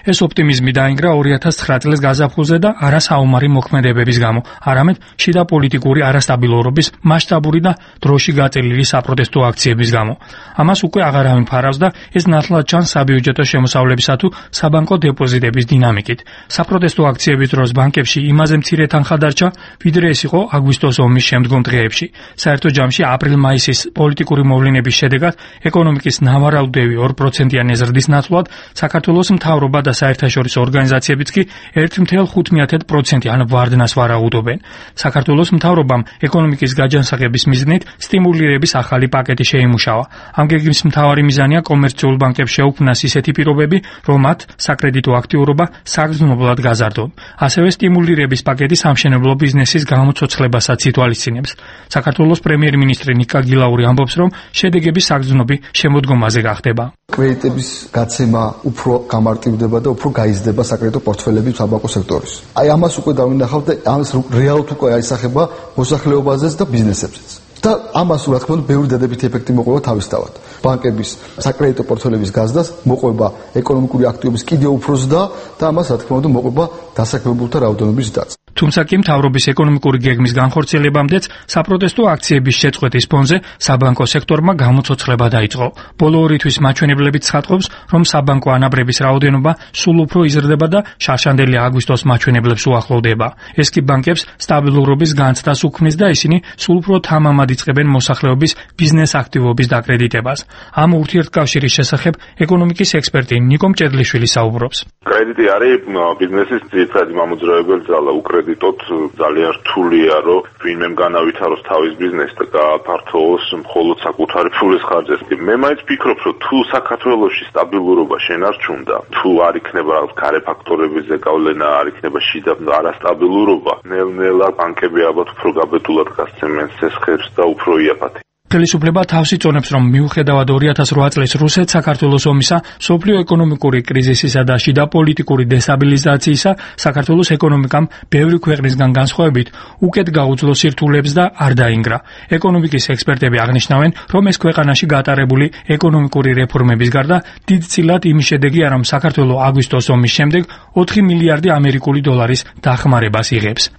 ეს ოპტიმიზმი დაინგრა ორი ათას ცხრა წლის გაზაფხულზე და არა საომარი მოქმედებების გამო, არამედ შიდა პოლიტიკური არასტაბილურობის მასშტაბური და დროში გაწელილი საპროტესტო აქციების გამო. ამას უკვე აღარავინ ფარავს და ეს ნათლად ჩანს საბიუჯეტო შემოსავლებისა თუ საბანკო დეპოზიტების დინამიკით. საპროტესტო აქციების დროს ბანკებში იმაზე მცირე თანხა დარჩა, ვიდრე ეს იყო აგვისტოს ომის შემდგომ დღეებში. საერთო ჯამში აპრილ-მაისის პოლიტიკური მოვლენების შედეგად ეკონომიკის ნავარაუდევი ორ პროცენტიანი ზრდის ნაცვლად საქართველოს მთავრობა და საერთაშორისო ორგანიზაციებიც კი ერთ целых ხუთ დесятых პროცენტიან ვარდნას ვარაუდობენ. საქართველოს მთავრობამ ეკონომიკის გაჯანსაღების მიზნით სტიმულირების ახალი პაკეტი შეიმუშავა. ამ გეგმის მთავარი მიზანია კომერციულ ბანკებს შეუქმნას ისეთი პირობები, რომ მათ საკრედიტო აქტიურობა საგრძნობლად გაზარდონ. ასევე სტიმულირების პაკეტი სამშენებლო ბიზნესის გამოცოცხლებასაც ითვალისწინებს. საქართველოს პრემიერ-მინისტრი ნიკა გილაური ამბობს, რომ შედეგები საგრძნობი შემოდგომაზე გახდება. კრედიტების გაცემა უფრო გამარტივდება და უფრო გაიზრდება საკრედიტო პორტფელები საბანკო სექტორის. აი ამას უკვე დავინახავთ და ამას რეალურად უკვე აისახება მოსახლეობაზეც და ბიზნესებზეც. და ამას რა თქმა უნდა ბევრი დადებითი ეფექტი მოყვება თავისთავად. ბანკების საკრედიტო პორტფელების გაზრდას მოყვება ეკონომიკური აქტივობის კიდევ უფრო ზრდა და ამას რა თქმა უნდა მოყვება დასაქმებულთა რაოდენობის ზრდაც. თუმცა კი მთავრობის ეკონომიკური გეგმის განხორციელებამდეც საპროტესტო აქციების შეწყვეტის ფონზე საბანკო სექტორმა გამოცოცხლება დაიწყო. ბოლო ორი თვის მაჩვენებლებით ცხადყოფს, რომ საბანკო ანაბრების რაოდენობა სულ უფრო იზრდება და შარშანდელი აგვისტოს მაჩვენებლებს უახლოვდება. ეს კი ბანკებს სტაბილურობის განცდას უქმნის და ისინი სულ უფრო თამამად იწყებენ მოსახლეობის ბიზნეს აქტივობის დაკრედიტებას. ამ ურთიერთკავშირის შესახებ ეკონომიკის ექსპერტი ნიკო მჭედლიშვილი საუბრობს. კრედიტი არის ბიზნესის ძირითადი მამოძრავებელი ძალა. უკრედიტოთ ძალიან რთულია, რომ ვინმემ განავითაროს თავის ბიზნესი და გააფართოვოს მხოლოდ საკუთარი ფულის ხარჯებს. მე მაინც ვფიქრობ, რომ თუ საქართველოში სტაბილურობა შენარჩუნდა, თუ არ იქნება გარე ფაქტორების ზეგავლენა, არ იქნება შიდა არასტაბილურობა, ნელ-ნელა ბანკები ალბათ უფრო გაბედულად გასცემენ სესხებს და უფრო იაფათი. ხელისუფლება თავს იწონებს, რომ მიუხედავად ორი ათას რვა წლის რუსეთ-საქართველოს ომისა, სოფლიო ეკონომიკური კრიზისისა და შიდა პოლიტიკური დესტაბილიზაციისა, საქართველოს ეკონომიკამ ბევრი ქვეყნისგან განსხვავებით უკეთ გაუძლო სირთულეებს და არ დაინგრა. ეკონომიკის ექსპერტები აღნიშნავენ, რომ ეს ქვეყანაში გატარებული ეკონომიკური რეფორმების გარდა დიდწილად იმის შედეგია, რომ საქართველო აგვისტოს ომის შემდეგ ოთხი მილიარდი ამერიკული დოლარის დახმარებას იღებს.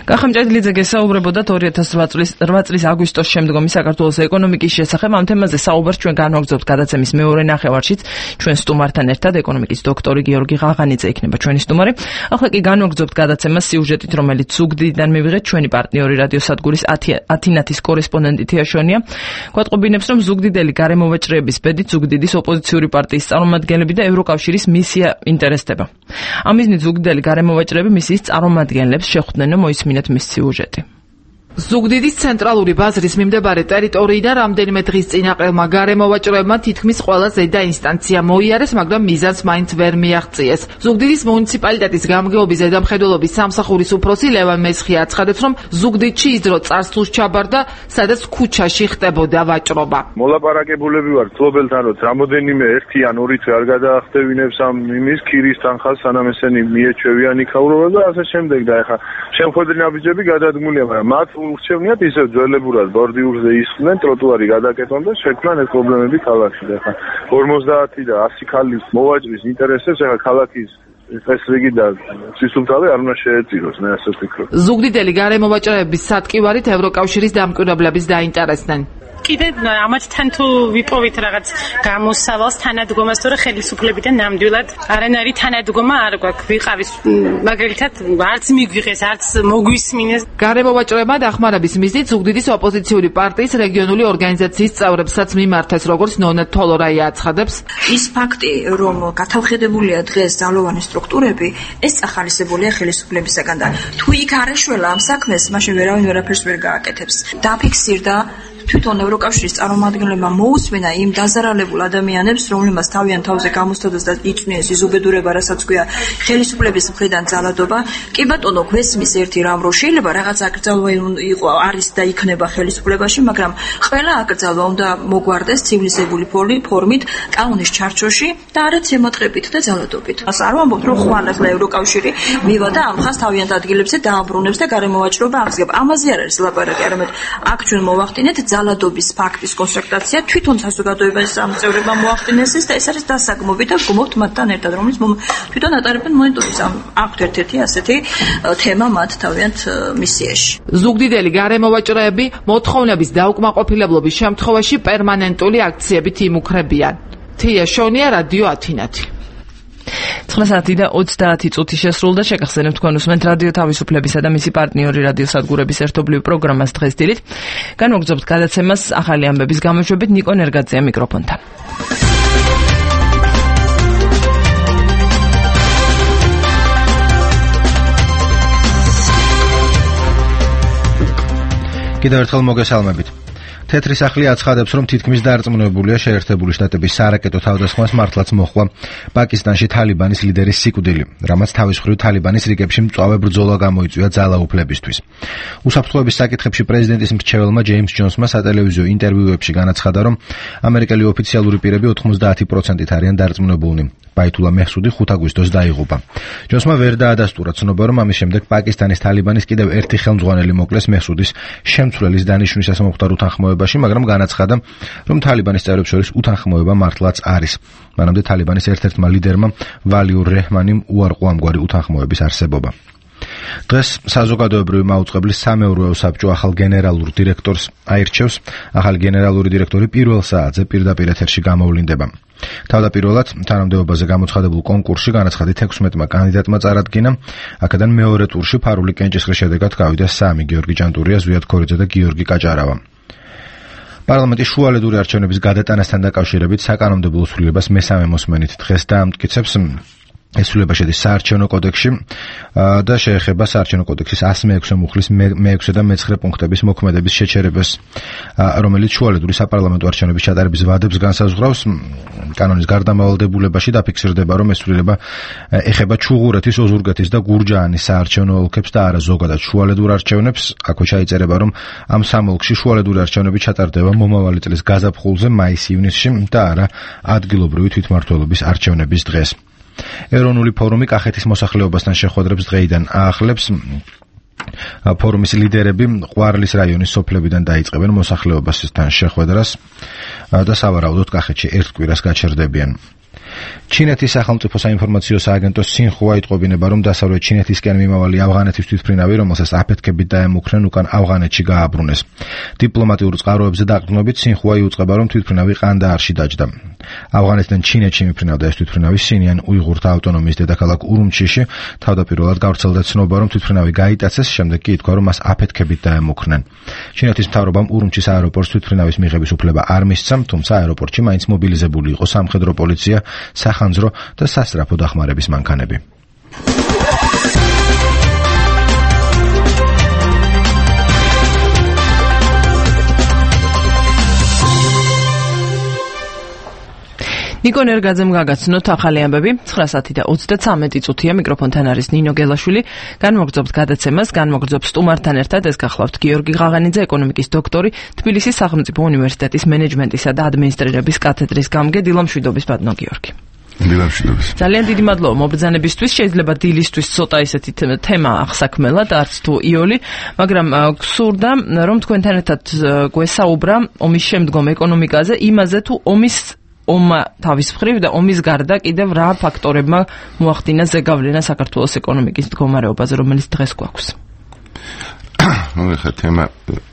კახამჭედლიძე გესაუბრებოდათ ორი ათას რვა წლის აგვისტოს შემდგომი საქართველოს ეკონომიკის შესახებ. ამ თემაზე საუბარს ჩვენ განვაგრძობთ გადაცემის მეორე ნახევარშიც. ჩვენ სტუმართან ერთად ეკონომიკის დოქტორი გიორგი ღაღანიძე იქნება ჩვენი სტუმარი. ახლა კი განვაგრძობთ გადაცემას სიუჟეტით, რომელიც ზუგდიდიდან მივიღეთ. ჩვენი პარტნიორი რადიოსადგურის ათინათის კორესპონდენტი თეაშვენია გვატყობინებს, რომ ზუგდიდელი გარემოვაჭრეების ბედით ზუგდიდის ოპოზიციური პარტიის წარმომადგენლები და ევროკავშირის მისია ინტერესდება. ამ მიზნით ზუგდიდელი გარემოვაჭრეები მისიის წარმომადგენლებს შეხვდნენ. მოისმინეთ მის სიუჟეტი. ზუგდიდის ცენტრალური ბაზრის მიმდებარე ტერიტორიიდან რამდენიმე დღის წინ აყელმა გარემოვაჭრეებმა თითქმის ყველა ზედა ინსტანცია მოიარეს, მაგრამ მიზანს მაინც ვერ მიაღწიეს. ზუგდიდის მუნიციპალიტეტის გამგეობის ზედამხედველობის სამსახურის უფროსი ლევან მესხი აცხადებს, რომ ზუგდიდში ის დრო წარსულს ჩაბარდა, სადაც ქუჩაში ხდებოდა ვაჭრობა. მოლაპარაკებულები ვარ მფლობელთან, რომ რამოდენიმე ერთი ან ორი თვე არ გადაახტევინებს ამ იმის ქირის თანხას, სანამ ესენი მიეჩვევიან იქაურობა და ასე შემდეგ. და ეხა შემოხვედრი ნაბიჯები გადადგმულია, მაგრამ მათ ურჩევნიათ ისევ ძველებურად ბორდიურზე ისხდნენ, ტროტუარი გადაკეთონ და შექმნან ეს პრობლემები ქალაქში. ეხა ორმოცდაათი და ასი ქალის მოვაჭრის ინტერესებს ეხა ქალაქის ეს რიგი და სისულთავე არ უნდა შეეწიროს, მე ასე ვფიქრობ. ზუგდიდელი გარემოვაჭრეების სატკივარით ევროკავშირის დამკვირვებლების დაინტერესდნენ. კიდე ამათთან თუ ვიპოვით რაღაც გამოსავალს თანადგომას, თორე ხელისუფლებიდან ნამდვილად არანაირი თანადგომა არ გვაქვს. ვიყავის მაგალითად არც მიგვიღეს, არც მოგვისმინეს. გარემოვაჭრეებმა დახმარების მიზნით ზუგდიდის ოპოზიციური პარტიის რეგიონული ორგანიზაციის წევრებსაც მიმართეს, როგორც ნონა თოლორაია აცხადებს. ის ფაქტი, რომ გათავხედებულია დღეს ძალოვანი სტრუქტურები, ეს ახალისებულია ხელისუფლებისაგან და თუ იქ არ ეშველა ამ საქმეს, მაშინ ვერავინ ვერაფერს ვერ გააკეთებს. დაფიქსირდა თვითონ ევროკავშირის წარმომადგენლებმა მოусმენა იმ დაზარალებულ ადამიანებს, რომლებმაც თავიანთ თავზე გამოსცადოს და იწვნიეს ის უბედურება, რასაც ქვია ხელისუფლების მხრიდან ძალადობა. კი ბატონო, გვესმის ერთი რამ, რომ შეიძლება რაღაც აკრძალვა იყო არის და იქნება ხელისუფლებაში, მაგრამ ყველა აკრძალვა უნდა მოგვარდეს ცივილიზებული ფორმით, კანონის ჩარჩოში და არც ემოთხრებით და ძალადობით. არ ვამბობთ, რომ ხვალ ახლა ევროკავშირი მივა და ამ ხას თავიანთ ადგილებზე დააბრუნებს და გარემოვაჭრობა აღსგება. ამაზე არ არის ლაპარაკი, არამედ აქ ჩვენ მოვახდინეთ ძალადობის ფაქტის კონსტატაცია, თვითონ საზოგადოების წევრებმა მოახდინეს ეს და ეს არის დასაგმობი და გმობთ მათთან ერთად, რომელიც თვითონ ატარებენ მონიტორინგს. აქვთ ერთ-ერთი ასეთი თემა მათ თავიანთ მისიაში. ზუგდიდელი გარემოვაჭრეები მოთხოვნების დაუკმაყოფილებლობის შემთხვევაში პერმანენტული აქციებით იმუქრებიან. თია შონია, რადიო ათინათი. ცხრა საათი და ოცდაათი წუთი შესრულდა. შეგახსენებთ თქვენ უსმენთ რადიო თავისუფლებისა და მისი პარტნიორი რადიოსადგურების ერთობლივ პროგრამას დღეს დილით. განვაგრძობთ გადაცემას ახალი ამბების გამოშვებით. ნიკო ნერგაძეა მიკროფონთან. კიდევ ერთხელ მოგესალმებით. თეთრი სახლი აცხადებს, რომ თითქმის დარწმუნებულია შეერთებული შტატების სარაკეტო თავდასხმას მართლაც მოხდა პაკისტანში თალიბანის ლიდერის სიკვდილი, რამაც თავის მხრივ თალიბანის რიგებში მწვავე ბრძოლა გამოიწვია ძალაუფლებისთვის. უსაფრთხოების საკითხებში პრეზიდენტის მრჩეველმა ჯეიმს ჯონსმა სატელევიზიო ინტერვიუებში განაცხადა, რომ ამერიკელი ოფიციალური პირები ოთხმოცდაათი პროცენტით არიან დარწმუნებულნი. ბაითულა მეჰსუდი ხუთ აგვისტოს დაიღუპა. ჯონსმა ვერ დაადასტურა ცნობა, რომ ამის შემდეგ პაკისტანის თალიბანის კიდევ ერთი ხელმძღვანელი მოკლეს მეჰსუდის შემცვლელის დანიშვნისას მომხდარ უთანხმოებაში, მაგრამ განაცხადა, რომ თალიბანის წევრებს შორის უთანხმოება მართლაც არის. მანამდე თალიბანის ერთ-ერთმა ლიდერმა ვალიურ რეჰმანიმ უარყო ამგვარი უთანხმოების არსებობა. დღეს საზოგადოებრივი მაუწყებლის სამეურვეო საბჭო ახალ გენერალურ დირექტორს აირჩევს. ახალი გენერალური დირექტორი პირველ საათზე პირდაპირ ეთერში გამოვლინდება. თავდაპირველად თანამდებობაზე გამოცხადებულ კონკურსში განაცხადით ექვსმეტმა კანდიდატმა წარადგინა. აქედან მეორე ტურში ფარული კენჭისყრის შედეგად გავიდა სამი: გიორგი ჭანტურია, ზვიად ქორიძე და გიორგი კაჭარავა. პარლამენტის შუალედური არჩევნების გადატანასთან დაკავშირებით საკანონმდებლო სრულიებას მესამე მოსმენით დღეს დაამტკიცებს. ეს სრულიება შედის საარჩევნო კოდექსში და შეეხება საარჩევნო კოდექსის ასი მეექვსე მუხლის მეექვსე და მეცხრე პუნქტების მოქმედების შეჩერებას, რომელიც შუალედური საპარლამენტო არჩევნების ჩატარების ვადებს განსაზღვრავს. კანონის გარდამავალდებულებაში დაფიქსირდება, რომ ეს სრულიება ეხება ჩუღურეთის, ოზურგეთის და გურჯაანის საარჩევნო ოლქებს და არა ზოგადად შუალედურ არჩევნებს. აქვე ჩაიწერება, რომ ამ სამ ოლქში შუალედური არჩევნები ჩატარდება მომავალი წლის გაზაფხულზე, მაის-ივნისში და არა ადგილობრივი თვითმმართველობის არჩევნების დღეს. ეროვნული ფორუმი კახეთის მოსახლეობასთან შეხვედრებს დღეიდან აახლებს. ფორუმის ლიდერები ყვარლის რაიონის სოფლებიდან დაიწყებენ მოსახლეობასთან შეხვედრას და სავარაუდოდ კახეთში ერთ კვირას გაჩერდებიან. ჩინეთის სახელმწიფო საინფორმაციო სააგენტოს სინხუა იტყობინება, რომ დასავლეთ ჩინეთისკენ მიმავალი ავღანეთის თვითმფრინავი, რომელსაც აფეთქებით დაემუქრნენ, უკან ავღანეთში გააბრუნეს. დიპლომატიურ წყაროებზე დაყრდნობით სინხუა იუწყება, რომ თვითმფრინავი ყანდაარში დაჯდა. ავღანეთიდან ჩინეთში მიფრინავდა ეს თვითმფრინავი სინიან უიღურთა ავტონომიის დედაქალაქ ურუმჩიში. თავდაპირველად გავრცელდა ცნობა, რომ თვითმფრინავი გაიტაცეს, შემდეგ კი ითქვა, რომ მას აფეთქებით დაემუქრნენ. ჩინეთის მთავრობამ ურუმჩის აეროპორტს თვითმფრინავის მიღების უფლება არ მისცა, თუმცა აეროპორტში მაინც მობილიზებული იყო სამხედრო პოლიცია, სახანძრო და სასწრაფო დახმარების მანქანები. ნიკო ნერგაძემ გაგაცნოთ ახალი ამბები. ცხრა საათი და ოცდათვრამეტი წუთია. მიკროფონთან არის ნინო გელაშვილი. განმოგრძობთ გადაცემას, განმოგრძობ სტუმართან ერთად. ეს გახლავთ გიორგი ღაღანიძე, ეკონომიკის დოქტორი, თბილისის სახელმწიფო უნივერსიტეტის მენეჯმენტისა და ადმინისტრირების კათედრის გამგე. დილამშვიდობის ბატონო გიორგი. დილამშვიდობის. ძალიან დიდი მადლობა მობრძანებისთვის. შეიძლება დილისთვის ცოტა ისეთი თემა ახსაქმელად, არც თუ იოლი, მაგრამ გსურდა რომ თქვენთან ერთად გვესაუბრა ომის შემდგომ ეკონომიკაზე, იმაზე თუ ომის ომმა თავის მხრივ და ომის გარდა კიდევ რა ფაქტორებმა მოახდინა ზეგავლენა საქართველოს ეკონომიკის მდგომარეობაზე, რომელიც დღეს გვაქვს. ნუ ეხლა თემა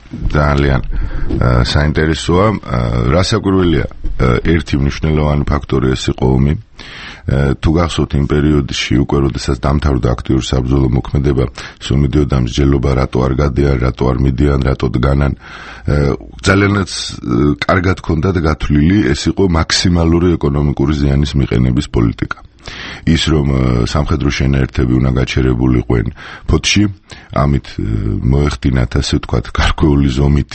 ძალიან საინტერესოა. რასაკვირველია, ერთი მნიშვნელოვანი ფაქტორი ეს იყო ომი. თუ გახსოვთ იმ პერიოდში უკვე როდესაც დამთავრდა აქტიური საბრძოლო მოქმედება, სულ მიდიოდა მსჯელობა, რატო არ გადიან, რატო არ მიდიან, რატო დგანან. ძალიანაც კარგად ჰქონდათ გათვლილი, ეს იყო მაქსიმალური ეკონომიკური ზიანის მიყენების პოლიტიკა. ის რომ სამხედრო შენაერთები უნდა გაჩერებულიყვნენ ფოთში, ამით მოეხდინათ ასე ვთქვათ გარკვეული ზომით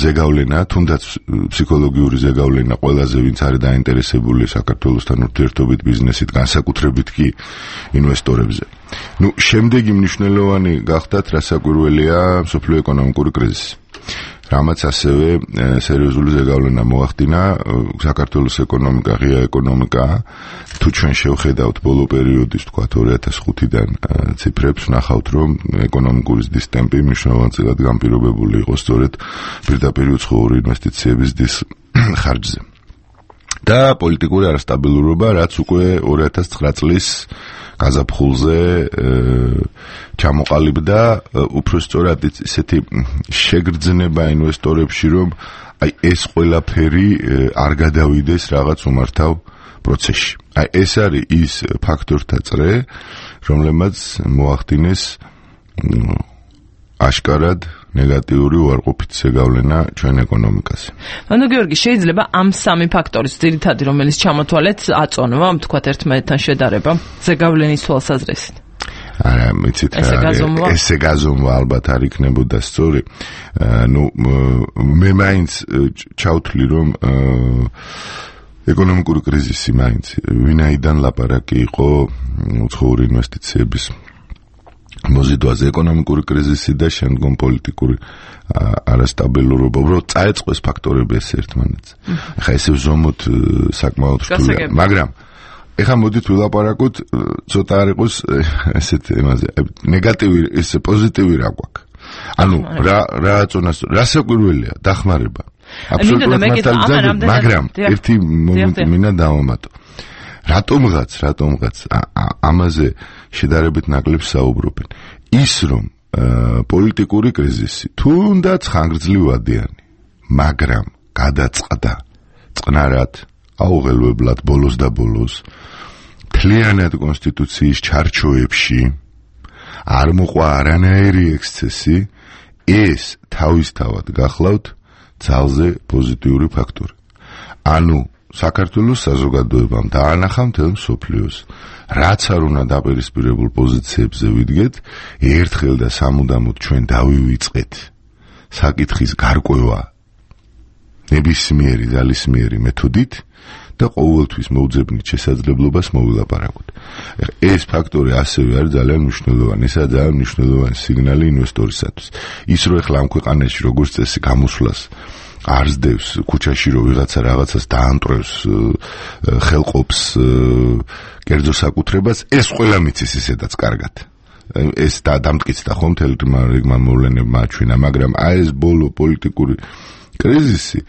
ზეგავლენა, თუნდაც ფსიქოლოგიური ზეგავლენა ყველაზე ვინც არის დაინტერესებული საქართველოსთან ურთიერთობით ბიზნესით, განსაკუთრებით კი ინვესტორებზე. ნუ შემდეგი მნიშვნელოვანი გახდათ რასაკვირველია მსოფლიო ეკონომიკური კრიზისი. რამაც ასევე სერიოზული ზეგავლენა მოახდინა საქართველოს ეკონომიკა, ღია ეკონომიკა. თუ ჩვენ შევხედავთ ბოლო პერიოდის, თქვათ ორი ათას ხუთიდან ციფრებს, ვნახავთ, რომ ეკონომიკური ზრდის ტემპი მნიშვნელოვნად განპირობებული იყო სწორედ პირდაპირ უცხოური ინვესტიციების ზრდის ხარჯზე. და პოლიტიკური არასტაბილურობა, რაც უკვე ორი ათას ცხრა წლის გაზაფხულზე ჩამოყალიბდა, უფრო სწორად ისეთი შეგრძნება ინვესტორებში, რომ აი ეს ყველაფერი არ გადავიდეს რაღაც უმართავ პროცესში. აი ეს არის ის ფაქტორთა წრე, რომლებმაც მოახდინეს აშკარად ნეგატიური უარყოფით ზეგავლენა ჩვენ ეკონომიკაზე. ანუ გიორგი, შეიძლება ამ სამი ფაქტორის ძირითადი, რომელიც ჩამოთვალეთ, აწონვა, თქვათ ერთმანეთთან შედარება ზეგავლენის თვალსაზრისით. არა, მიცით რა, ესე გაზომვა ალბათ არ იქნებოდა სწორი. ნუ მე მაინც ჩავთვლი, რომ ეკონომიკური კრიზისი მაინც ვინაიდან ლაპარაკი იყო უცხოური ინვესტიციების მოზიდვაზე, ეკონომიკური კრიზისი და შემდგომ პოლიტიკური არასტაბილურობა, უბრალოდ წაეწყოს ფაქტორები ეს ერთმანეთს. ახლა ესე ვზომოთ საკმაოდ რთულია, მაგრამ ეხლა მოდით ვილაპარაკოთ, ცოტა არ იყოს ესეთ ემაზე, ნეგატივი, ეს პოზიტივი რა გვაქვს. ანუ რა რა აწონას, რასაკვირველია, დახმარება. აბსოლუტურად მართალია, მაგრამ ერთი მომენტი მინდა დავამატო. რატომღაც, რატომღაც ამაზე შედარებით ნაკლებ საუბრობენ. ის რომ პოლიტიკური კრიზისი თუნდაც ხანგრძლივადიანი, მაგრამ გადაწყდა წყნარად, აუღელვებლად ბოლოს და ბოლოს მთლიანად კონსტიტუციის ჩარჩოებში არ მოყვა არანაირი ექსცესი, ეს თავისთავად გახლავთ ძალზე პოზიტიური ფაქტორი. ანუ საქართველოს საზოგადოებამ დაანახა მთელ მსოფლიოს, რაც არ უნდა დაპირისპირებულ პოზიციებზე ვიდგეთ, ერთხელ და სამუდამოდ ჩვენ დავივიწყეთ საკითხის გარკვევა ნებისმიერი ძალისმიერი მეთოდით და ყოველთვის მოუძებნით შესაძლებლობას მოვილაპარაკოთ. ეს ფაქტორი ასევე არის ძალიან მნიშვნელოვანი, ესაა ძალიან მნიშვნელოვანი სიგნალი ინვესტორისათვის. ის რომ ეხლა ამ ქვეყანაში როგორც წესი გამოსვლას არ ზდევს ქუჩაში, რომ ვიღაცა რაღაცას დაანტრევს, ხელყოფს კერძო საკუთრებას, ეს ყველა მიცის ისედაც კარგად. ეს დამტკიცდა ხომ მთელ რიგმა მოვლენებმა აჩვენა, მაგრამ აი ეს ბოლო პოლიტიკური კრიზისი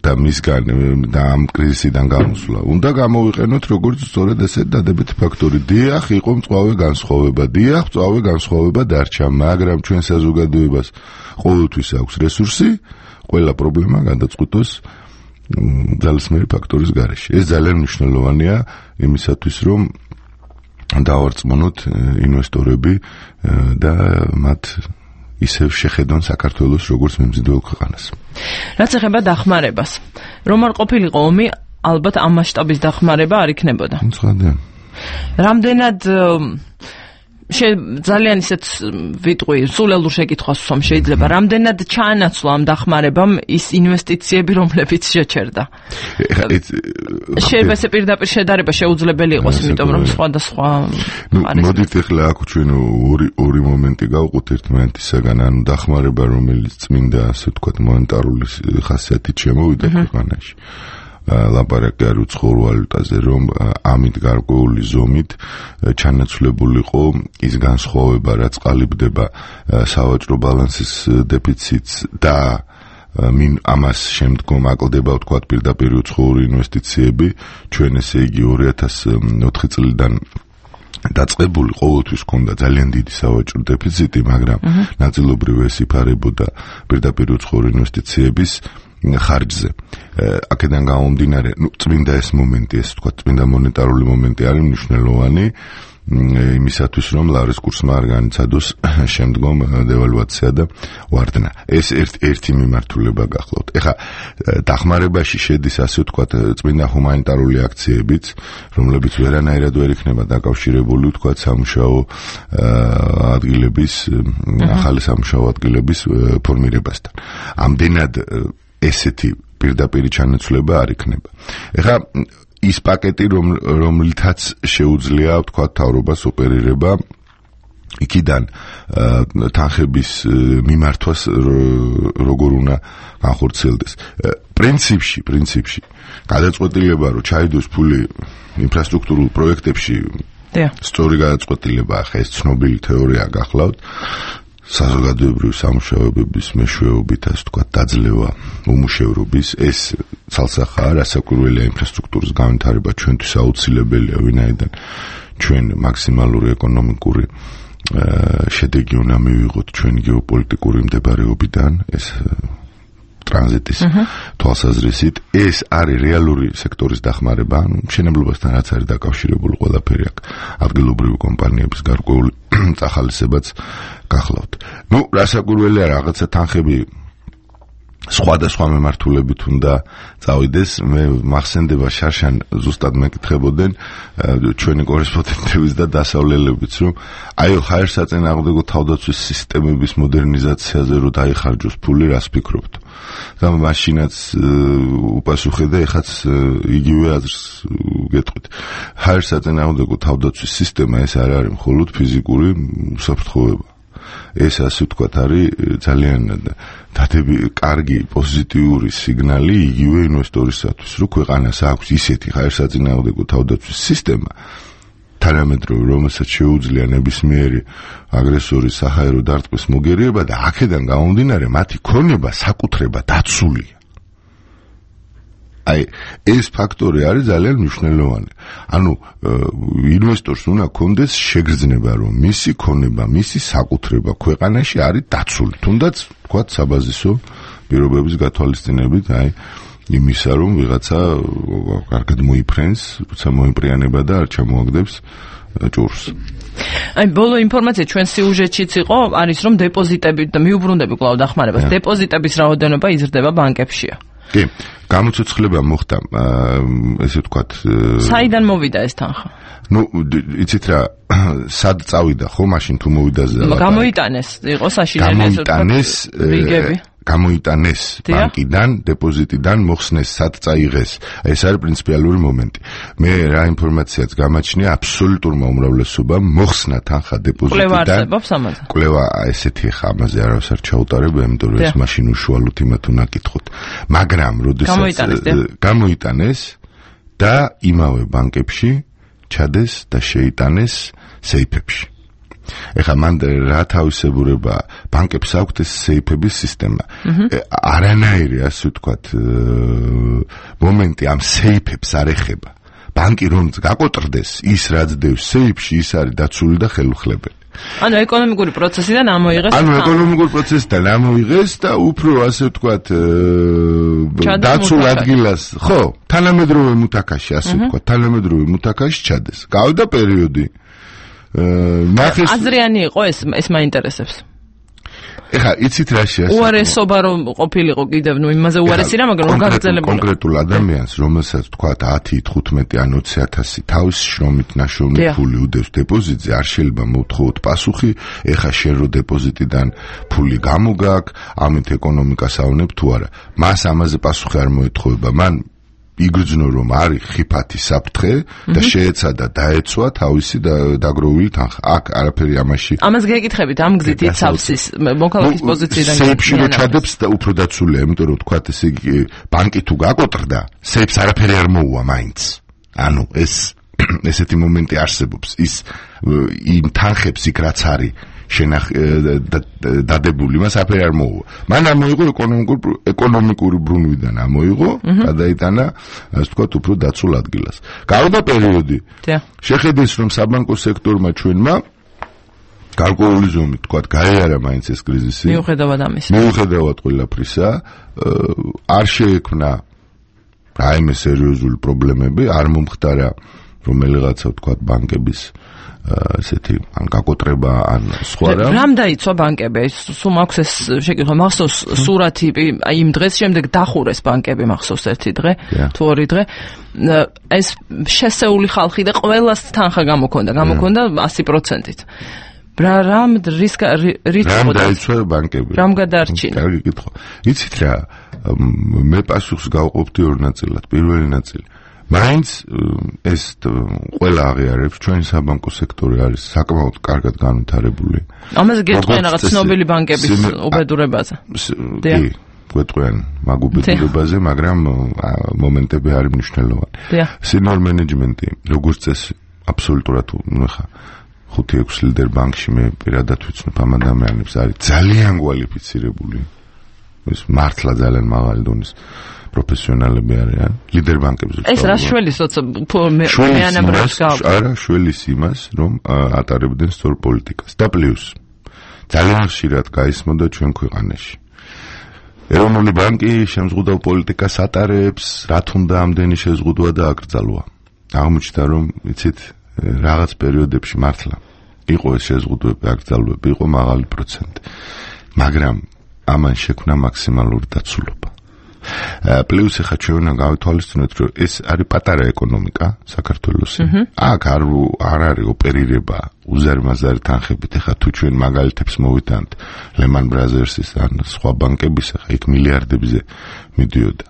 და მისგან და ამ კრიზისიდან გამოსვლა უნდა გამოვიყენოთ როგორც სწორედ ესეთ დადებითი ფაქტორი. დიახ, იყო მწვავე განსხვავება, დიახ, მწვავე განსხვავება დარჩა, მაგრამ ჩვენ საზოგადოებას ყოველთვის აქვს რესურსი ყველა პრობლემა გადაწყვიტოს ძალისმიერი ფაქტორის გარეშე. ეს ძალიან მნიშვნელოვანია იმისათვის, რომ დავარწმუნოთ ინვესტორები და მათ ისევ შეხედონ საქართველოს როგორც მიმზიდველ ქვეყანას. რაც ეხება დახმარებას, რომ არ ყოფილიყო ომი, ალბათ ამ მასშტაბის დახმარება არ იქნებოდა. ცხადია. რამდენად ძალიან ისეთ ვიტყვი, სულელურ შეკითხვას ვსვამ შეიძლება, რამდენად ჩაანაცვლა ამ დახმარებამ ის ინვესტიციები, რომლებიც შეჩერდა. შეიძლება ესე პირდაპირ შედარება შეუძლებელი იყოს, იმიტომ რომ სხვადასხვა არის. მოდით ახლა აქ ჩვენ ორი ორი მომენტი გავყოთ ერთმანეთისაგან, ანუ დახმარება, რომელიც წმინდა, ასე ვთქვათ, მონეტარული ხასიათით შემოვიდა ქვეყანაში. ლაპარაკი არ უცხოურ ვალუტაზე, რომ ამით გარკვეული ზომით ჩანაცვლებულიყო ის განსხვავება, რაც ყალიბდება სავაჭრო ბალანსის დეფიციტს და მინ ამას შემდგომ აკლდება ვთქვათ პირდაპირ უცხოური ინვესტიციები, ჩვენ ესე იგი ორი ათას ოთხი წლიდან დაწყებული ყოველთვის ჰქონდა ძალიან დიდი სავაჭრო დეფიციტი, მაგრამ ნაწილობრივ ეს იფარებოდა პირდაპირ უცხოური ინვესტიციების ხარჯზე. აქედან გამომდინარე, ნუ წმინდა ეს მომენტი, ეს თქვა წმინდა მონეტარული მომენტი არის მნიშვნელოვანი იმისათვის რომ ლარის კურსმა არ განიცადოს შემდგომ დევალვაცია და ვარდნა. ეს ერთ ერთი მიმართულება გახლავთ. ეხლა დახმარებაში შედის ასე ვთქვათ წმინდა ჰუმანიტარული აქციებიც, რომლებიც ვერანაირად ვერ იქნება დაკავშირებული ვთქვათ სამუშაო ადგილების, ახალი სამუშაო ადგილების ფორმირებასთან. ამდენად ესეთი პირდაპირი ჩანაცვლება არ იქნება. ეხლა ის პაკეტი რომლითაც შეუძლია ვთქვათ თავრობას ოპერირება იქიდან თანხების მიმართვას როგორ უნდა განხორციელდეს. პრინციპში, პრინციპში გადაწყვეტილება რომ ჩაიდოს ფული ინფრასტრუქტურულ პროექტებში სწორი გადაწყვეტილება ახლა ეს ცნობილი თეორია გახლავთ. საზოგადოებრივი სამუშაოების მეშვეობით ასე ვთქვათ დაძლევა უმუშევრობის ეს ცალსახაა რასაკვირველია ინფრასტრუქტურის განვითარება ჩვენთვის აუცილებელია ვინაიდან ჩვენ მაქსიმალური ეკონომიკური შედეგი უნდა მივიღოთ ჩვენი გეოპოლიტიკური მდებარეობიდან ეს ტრანზიტის თვალსაზრისით ეს არის რეალური სექტორის დახმარება ანუ მშენებლობასთან რაც არის დაკავშირებული ყველაფერი აქ ადგილობრივი კომპანიების გარკვეული წახალისებაც გახლავთ. ნუ რასაკვირველია რაღაცა თანხები სხვადასხვა მიმართულებით უნდა წავიდეს. მე მახსენდება შარშან ზუსტად მეკითხებოდნენ ჩვენი კორესპონდენტების და დასავლელებიც რომ აი ჰაერსაწინააღმდეგო თავდაცვის სისტემების მოდერნიზაციაზე რო დაიხარჯოს ფული რას ფიქრობთ? და მაშინაც უპასუხე და ეხაც იგივე აზრს გეტყვით. ჰაერსაწინააღმდეგო თავდაცვის სისტემა ეს არ არის მხოლოდ ფიზიკური უსაფრთხოება. ეს ასე ვთქვათ არის ძალიან დადები კარგი პოზიტიური სიგნალი იგივე ინვესტორისათვის რომ ქვეყანას აქვს ისეთი ჰაერსაწინააღმდეგო თავდაცვის სისტემა თანამედროვე რომელსაც შეუძლია ნებისმიერი აგრესორის საჰაერო დარტყმის მოგერიება და აქედან გამომდინარე მათი ქონება საკუთრება დაცულია. აი ეს ფაქტორი არის ძალიან მნიშვნელოვანი. ანუ ინვესტორს უნდა კონდეს შეგრძნება რომ მისი ქონება, მისი საკუთრება ქვეყანაში არის დაცული. თუნდაც თქვათ საბაზისო პირობების გათვალისწინებით, აი იმისა რომ ვიღაცა კარგად მოიფრენს, როცა მოიმპრიანება და არ ჩამოაგდებს ჭურს. აი ბოლო ინფორმაცია ჩვენ სიუჟეტშიც იყო, არის რომ დეპოზიტები და მიუბრუნდები კვლავ დახმარებას, დეპოზიტების რაოდენობა იზრდება ბანკებშია. კი, გამოცოცხლება მოხდა, ესე ვთქვათ. საიდან მოვიდა ეს თანხა? ნუ იცით რა, სად წავიდა ხო, მაშინ თუ მოვიდა ზე. გამოიტანეს, იყო საშინელი ესე ვთქვათ, რიგები. გამოიტანეს ბანკიდან, დეპოზიტიდან მოხსნეს, სად წაიღეს. ეს არის პრინციპალური მომენტი. მე რა ინფორმაციაც გამაჩნია, აბსოლუტურმა უმრავლესობამ მოხსნა თანხა დეპოზიტიდან. კვლევა არსებობს ამაზე? კვლევა ესეთი ხა ამაზე არავის არ ჩაუტარებ, იმიტომ რომ ეს მაშინ უშუალოდ იმათ უნდა კითხოთ. მაგრამ როდესაც გამოიტანეს და იმავე ბანკებში ჩადეს და შეიტანეს სეიფებში. ეხლა მან რა თავისებურება ბანკებს აქვთ ეს სეიფების სისტემა. არანაირი ასე ვთქვათ მომენტი ამ სეიფებს არ ეხება. ბანკი რომ გაკოტრდეს ის რაც დევს სეიფში ის არის დაცული და ხელუხლებელი. ანუ ეკონომიკური პროცესიდან ამოიღეს. ანუ ეკონომიკური პროცესიდან ამოიღეს და უფრო ასე ვთქვათ დაცულ ადგილას, ხო, თანამედროვე მუთაკაში ასე ვთქვათ, თანამედროვე მუთაკაში ჩადეს. გავიდა პერიოდი ნახეს აზრიანი იყო ეს ეს მაინტერესებს. ეხა იცით რა შეასრულა? უარესობა რომ ყოფილიყო კიდევ, ნუ იმაზე უარესი რა, მაგრამ რომ გაგრძელებული. კონკრეტულ ადამიანს, რომელსაც თქვათ ათი, თხუთმეტი ან ოცი ათასი თავის შრომით ნაშოვნი ფული უდევს დეპოზიტზე, არ შეიძლება მოვთხოვოთ პასუხი, ეხა შენ რო დეპოზიტიდან ფული გამოგაკ, ამით ეკონომიკას ავნებ თუ არა. მას ამაზე პასუხი არ მოეთხოვება. მან იგრძნო რომ არის ხიფათი საფრთხე და შეეცადა დაეცვა თავისი დაგროვილი თანხა. აქ არაფერი ამაში. ამას გეკითხებით ამ გზით იცავს ის მოქალაქის პოზიციიდან. სეიფში რო ჩადებს და უფრო დაცულია, იმიტომ რომ თქვათ ესე იგი ბანკი თუ გაკოტრდა, სეიფს არაფერი არ მოუვა მაინც. ანუ ეს ესეთი მომენტი არსებობს. ის იმ თანხებს იქ რაც არის შენახ დადებული მას აფერი არ მოუვა. მან ამოიღო ეკონომიკური ეკონომიკური ბრუნვიდან ამოიღო, გადაიტანა, ასე ვთქვათ, უფრო დაცულ ადგილას. გავიდა პერიოდი. შეხედეს რომ საბანკო სექტორმა ჩვენმა გარკვეული ზომით, ვთქვათ, გაიარა მაინც ეს კრიზისი. მიუხედავად ამისა. მიუხედავად ყველაფრისა, არ შეექმნა რაიმე სერიოზული პრობლემები, არ მომხდარა რომელიღაცა ვთქვათ ბანკების ესეთი ან გაკოტრება ან სხვა რა. რამ დაიცვა ბანკები? სულ მაქვს ეს შეკითხვა, მახსოვს სურათი აი იმ დღეს შემდეგ დახურეს ბანკები მახსოვს ერთი დღე, თუ ორი დღე. ეს შესეული ხალხი და ყველას თანხა გამოქონდა, გამოქონდა ასი პროცენტით. რა რამ რისკ რისკ რამ დაიცვა ბანკები? რამ გადაარჩინა? კარგი კითხვა. იცით რა, მე პასუხს გავყოფდი ორ ნაწილად. პირველი ნაწილი მაინც ეს ყველა აღიარებს ჩვენი საბანკო სექტორი არის საკმაოდ კარგად განვითარებული. ამაზე გეტყვიან რაღაც ცნობილი ბანკების უბედურებაზე. კი, გეტყვიან მაგ უბედურებაზე, მაგრამ მომენტები არის მნიშვნელოვანი. სინორ მენეჯმენტი, როგორც წესი, აბსოლუტურად ნუ ხა ხუთი ექვსი ლიდერ ბანკში მე პირადად ვიცნობ ამ ადამიანებს, არის ძალიან კვალიფიცირებული. ეს მართლა ძალიან მაღალი დონის პროფესიონალები არიან ლიდერ ბანკებზე. ეს რა შველის როცა მეანაბრებს გავ. არა, შველის იმას, რომ ატარებდნენ სწორ პოლიტიკას. და პლუს ძალიან ხშირად გაისმოდა ჩვენ ქვეყანაში. ეროვნული ბანკი შემზღუდავ პოლიტიკას ატარებს, რა თუნდა ამდენი შეზღუდვა და აკრძალვა. აღმოჩნდა, რომ იცით, რაღაც პერიოდებში მართლა იყო ეს შეზღუდვები, აკრძალვები, იყო მაღალი პროცენტი. მაგრამ ამან შექმნა მაქსიმალური დაცულობა. პლუს ახლა ჩვენ უნდა გავითვალისწინოთ, რომ ეს არის პატარა ეკონომიკა საქართველოსი. აქ არ არ არის ოპერირება უზარმაზარი თანხებით. ახლა თუ ჩვენ მაგალითებს მოვიტანთ Lehman Brothers-ის ან სხვა ბანკების, ახლა იქ მილიარდებზე მიდიოდა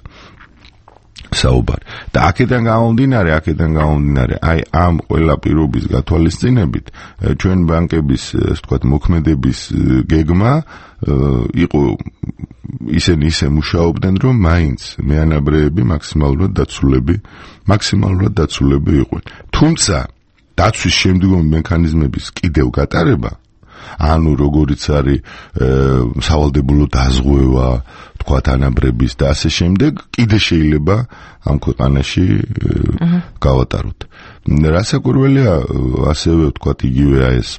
საუბარი. და აქედან გამომდინარე, აქედან გამომდინარე, აი ამ ყველა პირობის გათვალისწინებით ჩვენ ბანკების, ასე ვთქვათ, მოქმედების გეგმა იყო ისინი ისე მუშაობდნენ, რომ მაინც მეანაბრეები მაქსიმალურად დაცულები, მაქსიმალურად დაცულები იყვნენ. თუმცა დაცვის შემდგომი მექანიზმების კიდევ გატარება, ანუ როგორიც არის სავალდებულო დაზღვევა, თქვათ ანაბრების და ასე შემდეგ, კიდე შეიძლება ამ ქვეყანაში გავატაროთ. რასაკვირველია, ასევე ვთქვათ, იგივე ეს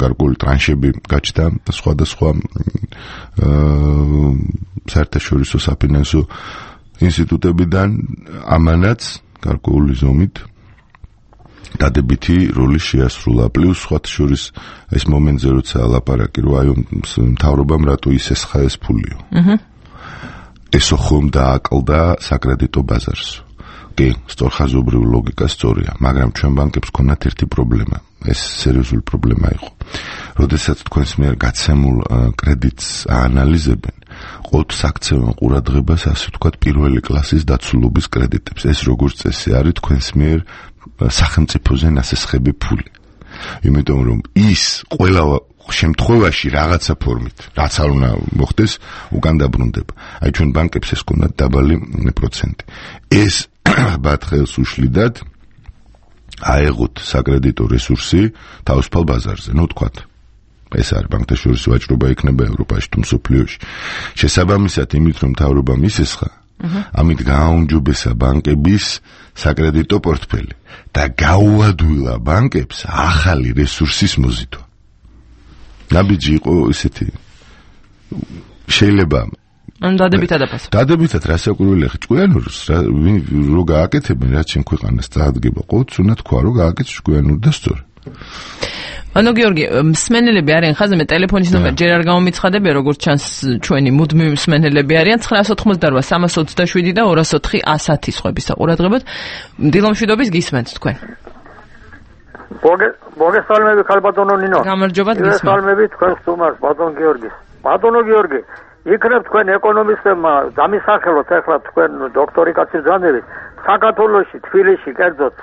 გარკვეული ტრანშები გაჩნდა სხვადასხვა საერთაშორისო საფინანსო ინსტიტუტებიდან, ამანაც გარკვეული ზომით დადებითი როლი შეასრულა. პლუს სხვათა შორის ეს მომენტზე როცა ლაპარაკი რო აი მთავრობამ რატო ისესხა ეს ფულიო. ესო ხომ დააკლდა საკრედიტო ბაზარს. კი, სწორხაზობრივი ლოგიკა სწორია, მაგრამ ჩვენ ბანკებს ქონათ ერთი პრობლემა. ეს სერიოზული პრობლემა იყო. როდესაც თქვენს მიერ გაცემულ კრედიტს აანალიზებენ, ყოველთვის აქცევენ ყურადღებას, ასე ვთქვათ, პირველი კლასის დაცულობის კრედიტებს. ეს როგორც წესი არის თქვენს მიერ სახელმწიფოზე ნასესხები ფული. იმიტომ რომ ის ყველა შემთხვევაში რაღაცა ფორმით, რაც არ უნდა მოხდეს, უკან დაბრუნდება. აი ჩვენ ბანკებს ეს ქონდათ დაბალი პროცენტი. ეს ბათხელს უშლიდათ აეღოთ საკრედიტო რესურსი თავისუფალ ბაზარზე, ნუ თქვათ. ეს არის ბანკთაშორისი ვაჭრობა იქნება ევროპაში თუ მსოფლიოში. შესაბამისად იმით რომ მთავრობა მისესხა, ამით გააუმჯობესა ბანკების საკრედიტო პორტფელი და გაუადვილა ბანკებს ახალი რესურსის მოზიდვა. ნაბიჯი იყო ისეთი შეიძლება ან დადებითად აფასო. დადებითად რასაკვირველია, ჭკვიანურს რო გააკეთებენ, რაც ჩემ ქვეყანას წაადგება, ყოველთვის უნდა თქვა, რომ გააკეთეს ჭკვიანური და სწორი. ანუ გიორგი, მსმენელები არიან ხაზზე, მე ტელეფონის ნომერი ჯერ არ გამომიცხადებია, როგორც ჩანს ჩვენი მუდმივი მსმენელები არიან ცხრაას ოცდაოთხმოცდაორვა სამას ოცდაშვიდი და ორას ოთხი ასათი სხვების საყურადღებოდ. დილომშვიდობის გისმენთ თქვენ. მოგესალმები ხალბატონო ნინო. გამარჯობა გისმენთ. მოგესალმები თქვენს სტუმარს, ბატონ გიორგის. ბატონო გიორგი, იქნებ თქვენ ეკონომისტებმა დამისახელოთ ახლა თქვენ დოქტორი კაცი ბრძანებით საქართველოში, თბილისში კერძოდ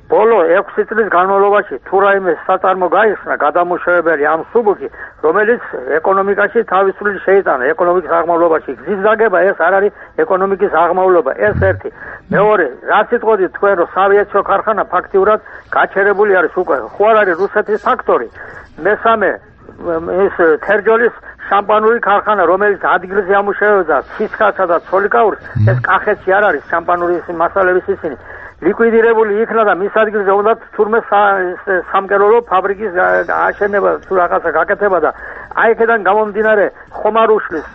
ბოლო ექვსი წლის განმავლობაში თუ რაიმე საწარმო გაიხსნა გადამუშავებელი ამ სუბუქი, რომელიც ეკონომიკაში თავისუფლად შეიტანა ეკონომიკის აღმავლობაში. გზის გაგება ეს არ არის ეკონომიკის აღმავლობა, ეს ერთი. მეორე, რაც იტყოდით თქვენ რომ სავიეცო ქარხანა ფაქტიურად გაჩერებული არის უკვე. ხო არ არის რუსეთის ფაქტორი. მესამე, ეს თერჯოლის შამპანური ქარხანა, რომელიც ადგილზე ამუშავებდა ცისკაცსა და ცოლიკაურს, ეს კახეთში არ არის შამპანური მასალების ისინი. ლიკვიდირებული იქნა და მის ადგილზე უნდა თურმე სამკეროლო ფაბრიკის აშენება თუ რაღაცა გაკეთება და აი აქედან გამომდინარე ხომ არ უშლის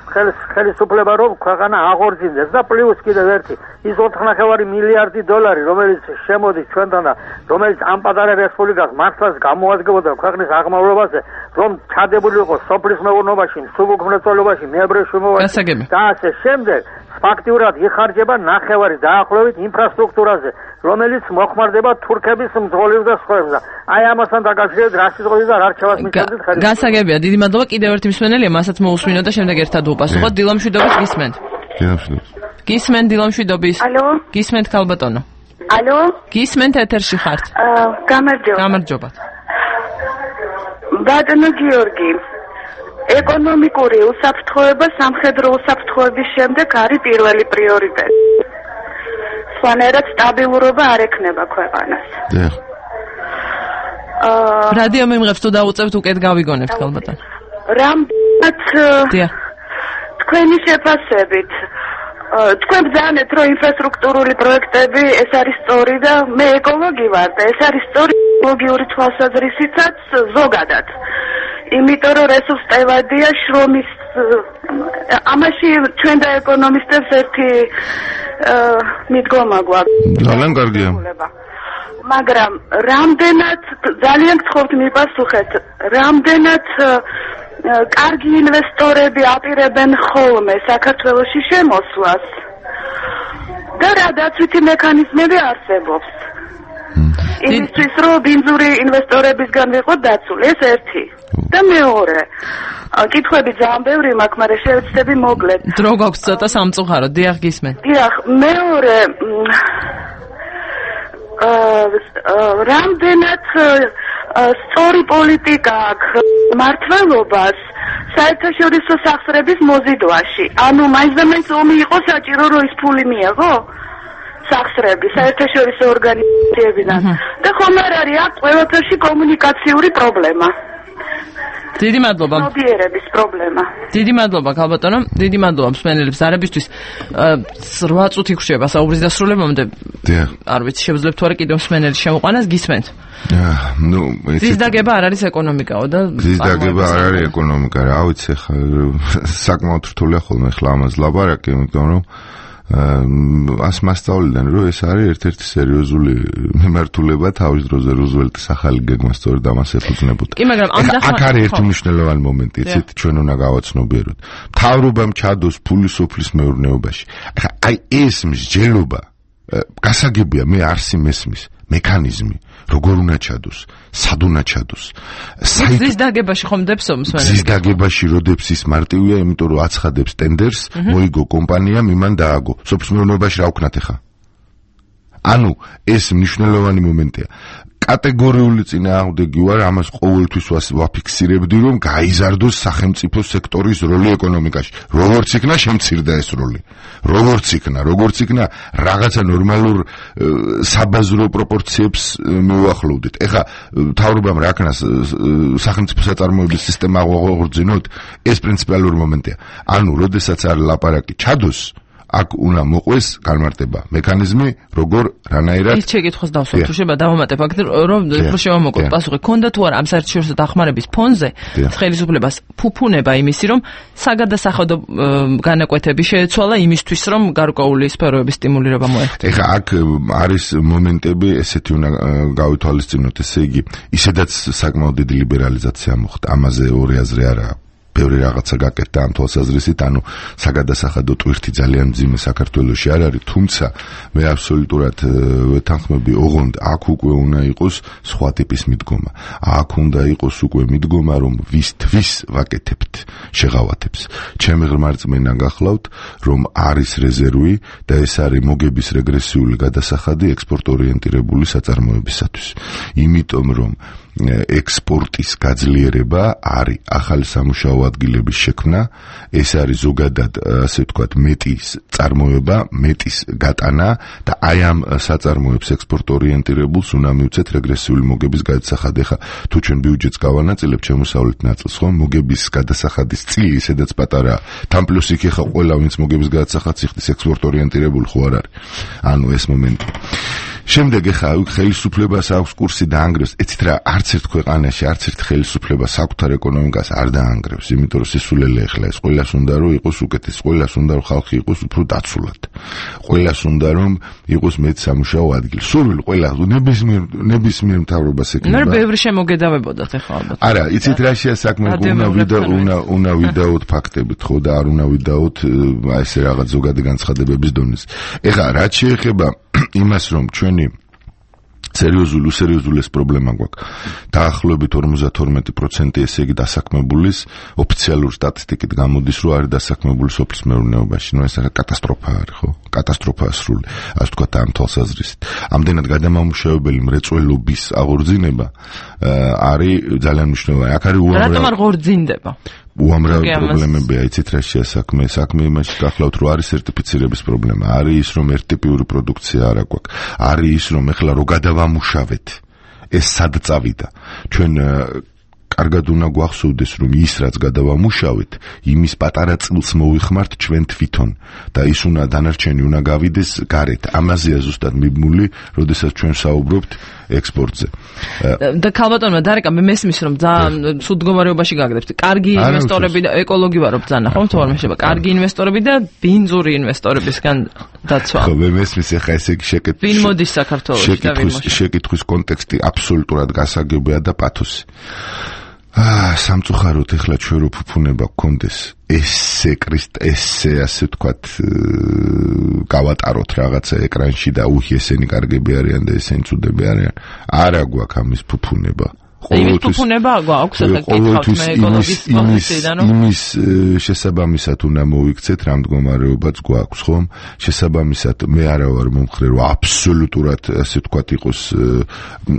ხელისუფლება რომ ქვეყანა აღორძინდეს და პლუს კიდევ ერთი ის ოთხ ნახევარი მილიარდი დოლარი რომელიც შემოდის ჩვენთან და რომელიც ამ პატარა რესპუბლიკას მართლაც გამოადგებოდა ქვეყნის აღმავლობაზე რომ ჩადებული იყოს სოფლის მეურნეობაში, სუბუქმრეწველობაში, მეაბრეშუმოვაში და ასე შემდეგ ფაქტიურად იხარჯება ნახევარი დაახლოებით ინფრასტრუქტურაზე რომელიც მოხმარდება თურქების მძღოლებს და სხვებს. აი ამასთან დაკავშირებით რა სიტყვები და რა რჩევას მისცემთ ხელისუფლებას? გასაგებია, დიდი მადლობა. კიდევ ერთი მსმენელია, მასაც მოусმინოთ და შემდეგ ერთად უპასუხოთ. დილამშვიდობის გისმენთ. დილამშვიდობის. გისმენთ დილამშვიდობის. ალო? გისმენთ ქალბატონო. ალო? გისმენთ ეთერში ხართ. აა, გამარჯობა. გამარჯობა. ბატონო გიორგი, ეკონომიკური უსაფრთხოება სამხედრო უსაფრთხოების შემდეგ არის პირველი პრიორიტეტი. სხვანაირად სტაბილურობა არ ექნება ქვეყანას. დიახ. აა რადიო მიმღებს თუ დაუწევთ უკეთ გავიგონებთ ხალბატონ. რამდენად დიახ. თქვენი შეფასებით თქვენ ბრძანეთ რომ ინფრასტრუქტურული პროექტები ეს არის სწორი და მე ეკოლოგი ვარ და ეს არის სწორი ეკოლოგიური თვალსაზრისითაც ზოგადად. იმიტომ რომ რესურსტევადია შრომის ამაში ჩვენ და ეკონომისტებს ერთი მიდგომა გვაქვს. ძალიან კარგია. მაგრამ რამდენად ძალიან გთხოვთ მიპასუხეთ, რამდენად კარგი ინვესტორები აპირებენ ხოლმე საქართველოში შემოსვლას და რა დაცვითი მექანიზმები არსებობს იმისთვის რომ ბინძური ინვესტორებისგან ვიყოთ დაცული, ეს ერთი. და მეორე, კითხვები ძალიან ბევრი მაქვს, მაგრამ შევეცდები მოკლედ. დრო გვაქვს ცოტა სამწუხარო, დიახ გისმენთ. დიახ, მეორე რამდენად სწორი პოლიტიკა აქვს მართლობას საერთაშორისო სახსრების მოზიდვაში. ანუ მაინც და მაინც ომი იყო საჭირო რომ ის ფული მიიღო სახსრები საერთაშორისო ორგანიზაციებიდან. და ხომ არ არის აქ ყველაფერში კომუნიკაციური პრობლემა. დიდი მადლობა. მოდიერების პრობლემა. დიდი მადლობა ქალბატონო, დიდი მადლობა მსმენელებს არებისთვის. რვა წუთი გრჩება საუბრის დასრულებამდე. დიახ. არ ვიცი, შევძლებთ თუ არა კიდევ მსმენელი შემოყვანას, გისმენთ. ნუ ეს დაგება არ არის ეკონომიკაო და ეს დაგება არ არის ეკონომიკა, რა ვიცი, საკმაოდ რთულია ხოლმე ხლა ამას ლაპარაკი, იმიტომ რომ ას მასწავლიდან რომ ეს არის ერთ-ერთი სერიოზული მიმართულება თავის დროზე რუზველტის ახალი გეგმა სწორედ ამას ეფუძნებოდა. კი, მაგრამ ამ აქ არის ერთი მნიშვნელოვანი მომენტი, იცით, ჩვენ უნდა გავაცნობიეროთ. მთავრობამ ჩადოს ფული სოფლის მეურნეობაში. ახლა აი ეს მსჯელობა გასაგებია, მე არსი მესმის მექანიზმი, როგორ უნდა ჩადოს, სად უნდა ჩადოს. ზის დაგებაში ხომ დებსო მსმენელი? ზის დაგებაში როდებს ის მარტივია, იმიტომ რომ აცხადებს ტენდერს, მოიგო კომპანიამ, იმან დააგო. სოფლის მეურნეობაში რა ვქნათ ახლა? ანუ ეს მნიშვნელოვანი მომენტია. კატეგორიული წინააღმდეგი ვარ, ამას ყოველთვის ვაფიქსირებდი, რომ გაიზარდოს სახელმწიფო სექტორის როლი ეკონომიკაში. როგორც იქნა შემცირდა ეს როლი. როგორც იქნა, როგორც იქნა რაღაცა ნორმალურ საბაზრო პროპორციებს მოვახლოვდით. ეხლა მთავრობამ რა ქნას სახელმწიფო საწარმოების სისტემა აღორძინოთ, ეს პრინციპალური მომენტია. ანუ, როდესაც არის ლაპარაკი ჩადოს აქ უნდა მოყვეს განმარტება მექანიზმი როგორ რანაირად ის შეკითხოს დავსვათ თუ შეიძლება დავამატებ აქ რომ უფრო შევამოკლოთ პასუხი ქონდა თუ არა ამ საერთაშორისო დახმარების ფონზე ხელისუფლებას ფუფუნება იმისი რომ საგადასახადო განაკვეთები შეეცვალა იმისთვის რომ გარკვეული სფეროების სტიმულირება მოეხდინა. ეხლა აქ არის მომენტები ესეთი უნდა გავითვალისწინოთ, ესე იგი ისედაც საკმაოდ დიდი ლიბერალიზაცია მოხდა, ამაზე ორი აზრი არა აქვს. ბევრი რაღაცა გაკეთდა ამ თვალსაზრისით, ანუ საგადასახადო ტვირთი ძალიან მძიმე საქართველოში არ არის, თუმცა მე აბსოლუტურად ვეთანხმები, ოღონდ აქ უკვე უნდა იყოს სხვა ტიპის მიდგომა. აქ უნდა იყოს უკვე მიდგომა, რომ ვისთვის ვაკეთებთ შეღავათებს. ჩემი ღრმა რწმენა გახლავთ, რომ არის რეზერვი და ეს არის მოგების რეგრესიული გადასახადი ექსპორტორიენტირებული საწარმოებისათვის. იმიტომ რომ ექსპორტის გაძლიერება არის ახალი სამუშაო ადგილების შექმნა, ეს არის ზოგადად ასე ვთქვათ მეტის წარმოება, მეტის გატანა და აი ამ საწარმოებს ექსპორტორიენტირებულს უნდა მივცეთ რეგრესიული მოგების გადასახადი. ხა თუ ჩვენ ბიუჯეტს გავანაწილებთ შემოსავლით ნაწილს, ხო, მოგების გადასახადის წილი სადაც პატარა თან პლუს იქ ხა ყველა ვინც მოგების გადასახადს იხდის ექსპორტორიენტირებული ხო არ არის. ანუ ეს მომენტი შემდეგ ეხა ხელისუფლებას აქვს კურსი დაანგრევს. ეცით რა, არც ერთ ქვეყანაში, არც ერთ ხელისუფლებას საკუთარ ეკონომიკას არ დაანგრევს, იმიტომ რომ სისულელე ეხლა ეს ყველას უნდა რომ იყოს უკეთეს, ყველას უნდა რომ ხალხი იყოს უფრო დაცულად. ყველას უნდა რომ იყოს მეც სამუშაო ადგილი. სულ ყველა ნებისმიერ ნებისმიერ მთავრობას ეკნება. მე ბევრი შემოგედავებოდათ ეხლა ალბათ. არა, იცით რა შეა საქმე, უნდა ვიდა უნდა უნდა ვიდაოთ ფაქტებით, ხო და არ უნდა ვიდაოთ აი ესე რაღაც ზოგადი განცხადებების დონეზე. ეხლა რაც შეეხება იმას რომ ჩვენი სერიოზული უსერიოზული ეს პრობლემა გვაქვს. დაახლოებით ორმოცდათორმეტი პროცენტი ესე იგი დასაქმებულის ოფიციალური სტატისტიკით გამოდის რომ არის დასაქმებული სოფლის მეურნეობაში. ნუ ეს კატასტროფა არის, ხო? კატასტროფაა სრული. ასე ვთქვათ ამ თვალსაზრისით. ამდენად გადამამუშავებელი მრეწველობის აღორძინება არის ძალიან მნიშვნელოვანი. აქ არის უამრავი. რატომ არ ღორძინდება? უამრავი პრობლემებია, იცით რა შეა საქმე, საქმე იმაში გახლავთ რომ არის სერტიფიცირების პრობლემა, არის ის რომ ერთტიპიური პროდუქცია არ აქვს, არის ის რომ ეხლა რო გადავამუშავეთ, ეს სად წავიდა. ჩვენ კარგად უნდა გვახსოვდეს რომ ის რაც გადავამუშავეთ, იმის პატარა წილს მოვიხმართ ჩვენ თვითონ და ის უნდა დანარჩენი უნდა გავიდეს გარეთ. ამაზეა ზუსტად მიბმული, როდესაც ჩვენ საუბრობთ ექსპორტზე. და ქალბატონმა დარეკა მე მესმის რომ ძალიან სულ მდგომარეობაში გაგდებთ. კარგი ინვესტორები და ეკოლოგი ვარო ბძანა, ხო? თორემ შეიძლება კარგი ინვესტორები და ბინძური ინვესტორებისგან დაცვა. ხო, მე მესმის ახლა ესე იგი შეკითხვის. ვინ მოდის საქართველოში და ვინ მოდის? შეკითხვის კონტექსტი აბსოლუტურად გასაგებია და პათოსი. აა სამწუხაროდ ეხლა ჩვენ რო ფუფუნება გქონდეს ესე კრისტ ესე ასე ვთქვათ გავატაროთ რაღაცა ეკრანში და უი ესენი კარგები არიან და ესენი ცუდები არიან. არა გვაქვს ამის ფუფუნება. იმის ფუფუნება გვაქვს ახლა კითხავთ მე ეკოლოგის პოზიციიდან რომ იმის შესაბამისად უნდა მოიქცეთ რა მდგომარეობაც გვაქვს ხომ? შესაბამისად მე არა ვარ მომხრე რომ აბსოლუტურად ასე ვთქვათ იყოს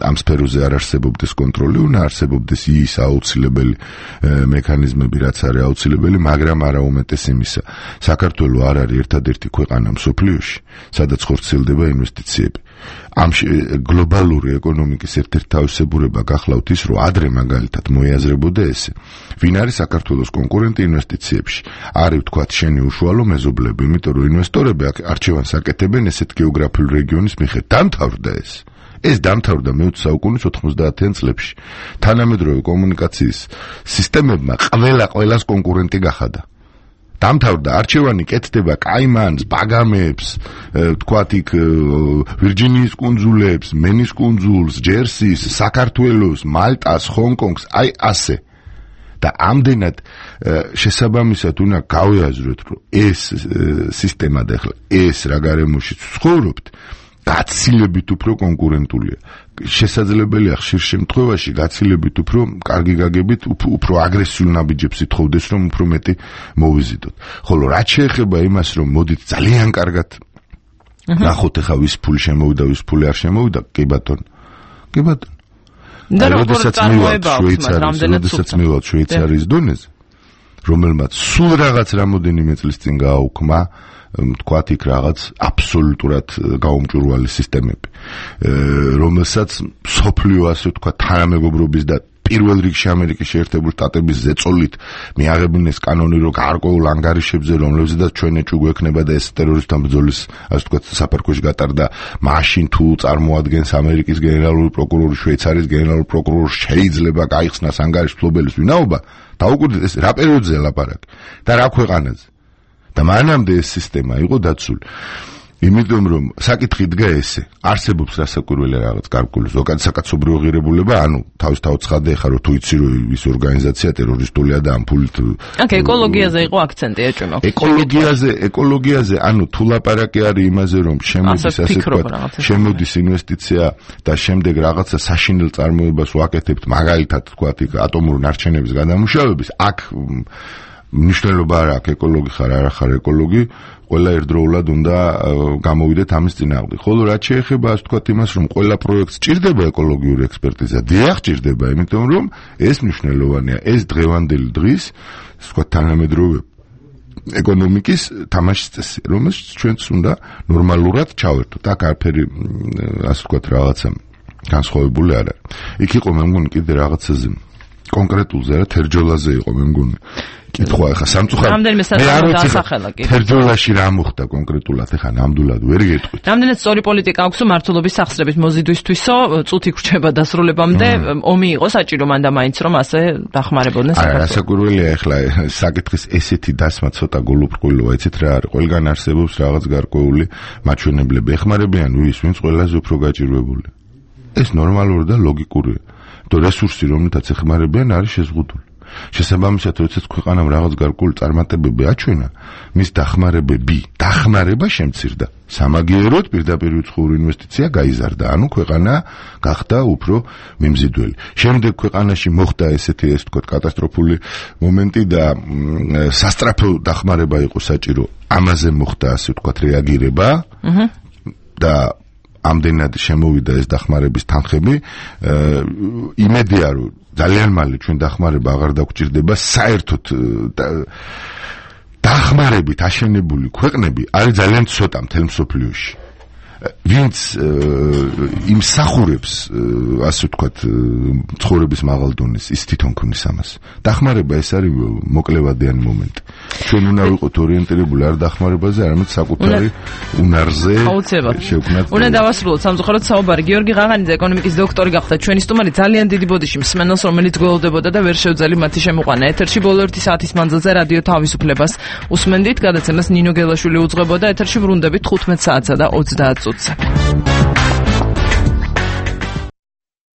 ამ სფეროზე არ არსებობდეს კონტროლი, უნდა არსებობდეს ის აუცილებელი მექანიზმები რაც არის აუცილებელი, მაგრამ არა უმეტეს იმისა. საქართველო არ არის ერთადერთი ქვეყანა მსოფლიოში, სადაც ხორციელდება ინვესტიციები. ამ გლობალური ეკონომიკის ერთ-ერთი თავისებურება გახლავთ ის, რომ ადრე მაგალითად მოიაზრებოდა ესე. ვინ არის საქართველოს კონკურენტი ინვესტიციებში? არის ვთქვათ შენი უშუალო მეზობლები, იმიტომ რომ ინვესტორები არჩევანს აკეთებენ ესეთ გეოგრაფიულ რეგიონის მიხედვით. დამთავრდა ეს. ეს დამთავრდა მეოცე საუკუნის ოთხმოცდაათიან წლებში. თანამედროვე კომუნიკაციის სისტემებმა ყველა ყველას კონკურენტი გახადა. დამთავრდა არჩევანი კეთდება კაიმანს, ბაგამებს, თქვათ იქ ვირჯინიის კუნძულებს, მენის კუნძულს, ჯერსის, საქართველოს, მალტას, ჰონკონგს, აი ასე. და ამდენად შესაბამისად უნდა გავიაზროთ, რომ ეს სისტემა და ახლა ეს რა გარემოში ცხოვრობთ, გაცილებით უფრო კონკურენტულია. შესაძლებელია ხშირ შემთხვევაში გაცილებით უფრო კარგი გაგებით, უფრო აგრესიულ ნაბიჯებს ითხოვდეს, რომ უფრო მეტი მოვიზიდოთ. ხოლო რაც შეეხება იმას, რომ მოდით ძალიან კარგად ნახოთ ახლა ვის ფული შემოვიდა, ვის ფული არ შემოვიდა, კი ბატონო. კი ბატონო. და როგორ შვეიცარიის, როდესაც მივალთ შვეიცარიის დონეზე, რომელმაც სულ რაღაც რამოდენიმე წლის წინ გააუქმა თქვათ იქ რაღაც აბსოლუტურად გაუმჭვირვალი სისტემები, რომელსაც სოფლიო ასე ვთქვათ თანამეგობრობის და პირველ რიგში ამერიკის შეერთებული შტატების ზეწოლით მიაღებინეს კანონი, რომ გარკვეულ ანგარიშებზე, რომლებზედაც ჩვენ ეჭვი გვექნება და ეს ტერორისტთა ბრძოლის ასე ვთქვათ საფარქვეში გატარდა, მაშინ თუ წარმოადგენს ამერიკის გენერალური პროკურორი, შვეიცარიის გენერალური პროკურორი შეიძლება გაიხსნას ანგარიშის ფლობელის ვინაობა, დაუკვირდეთ ეს რა პერიოდზე ლაპარაკი და რა ქვეყანაზე. და მანამდე ეს სისტემა იყო დაცული. იმიტომ რომ საკითხი დგა ესე, არსებობს რასაკვირველი რაღაც გარკვეული ზოგადად საკაცობრიო ღირებულება, ანუ თავისთავად ცხადე ხარ რომ თუ იცი რომ ის ორგანიზაცია ტერორისტულია და ამ ფულით აკ ეკოლოგიაზე იყო აქცენტი ეჭვი მაქვს. ეკოლოგიაზე, ეკოლოგიაზე, ანუ თუ ლაპარაკი არის იმაზე რომ შემოდის ასე ვთქვათ, შემოდის ინვესტიცია და შემდეგ რაღაცა საშინელ წარმოებას ვაკეთებთ, მაგალითად ვთქვათ იქ ატომური ნარჩენების გადამუშავების, აქ მნიშვნელობა არ აქვს ეკოლოგი ხარ არა ხარ ეკოლოგი, ყველა ერთდროულად უნდა გამოვიდეთ ამის წინააღმდეგ. ხოლო რაც შეეხება ასე ვთქვათ იმას, რომ ყველა პროექტს ჭირდება ეკოლოგიური ექსპერტიზა, დიახ ჭირდება, იმიტომ რომ ეს მნიშვნელოვანია, ეს დღევანდელი დღის ასე ვთქვათ თანამედროვე ეკონომიკის თამაშის წესი, რომელსაც ჩვენც უნდა ნორმალურად ჩავერთოთ. აქ არაფერი ასე ვთქვათ რაღაცა განსხვავებული არ არის. იქ იყო მე მგონი კიდე რაღაცაზე კონკრეტულზე რა თერჯოლაზე იყო მე მგონი. კითხვა ახლა სამწუხაროდ რამდენიმე საწარმო დაასახელა კი ფერდოლაში რა მოხდა კონკრეტულად ახლა ნამდვილად ვერ გეტყვით რამდენად სწორი პოლიტიკა აქვს მართლობის სახსრების მოზიდვისთვისო წუთი გრჩება დასრულებამდე ომი იყო საჭირო მანდა მაინც რომ ასე დახმარებოდნენ საქართველოს არა საკურველია ახლა საკითხის ესეთი დასმა ცოტა გულუბრყვილოა იცით რა არის ყველგან არსებობს რაღაც გარკვეული მაჩვენებლები ეხმარებიან ვის ვინც ყველაზე უფრო გაჭირვებული ეს ნორმალური და ლოგიკურია თუ რესურსი რომელთაც ეხმარებიან არის შეზღუდული შესაბამისად როდესაც ქვეყანამ რაღაც გარკვეული წარმატებები აჩვენა მის დახმარებები დახმარება შემცირდა სამაგიეროდ პირდაპირ უცხოური ინვესტიცია გაიზარდა ანუ ქვეყანა გახდა უფრო მიმზიდველი შემდეგ ქვეყანაში მოხდა ესეთი ეს თქო კატასტროფული მომენტი და სასტრაფო დახმარება იყო საჭირო ამაზე მოხდა ასე ვთქვათ რეაგირება და ამდენად შემოვიდა ეს დახმარების თანხები იმედია რომ ძალიან მალე ჩვენ დახმარება აღარ დაგვჭირდება საერთოდ დახმარებით აშენებული ქვეყნები არის ძალიან ცოტა მთელ მსოფლიოში ვინც იმსახურებს ასე ვთქვათ ცხოვრების მაღალ დონეს ის თვითონ ქმნის ამას დახმარება ეს არის მოკლევადიანი მომენტი ჩვენ უნდა ვიყოთ ორიენტირებული არ დახმარებაზე არამედ საკუთარი უნარზე შევქმნათ უნდა დავასრულოთ სამწუხაროდ საუბარი გიორგი ღაღანიძე ეკონომიკის დოქტორი გახდა ჩვენი სტუმარი ძალიან დიდი ბოდიში მსმენელს რომელიც გველოდებოდა და ვერ შევძალი მათი შემოყვანა ეთერში ბოლო ერთი საათის მანძილზე რადიო თავისუფლებას უსმენდით გადაცემას ნინო გელაშვილი უძღვებოდა ეთერში ვრუნდებით ხუთმეტ საათსა და ოცდაათ წუთზე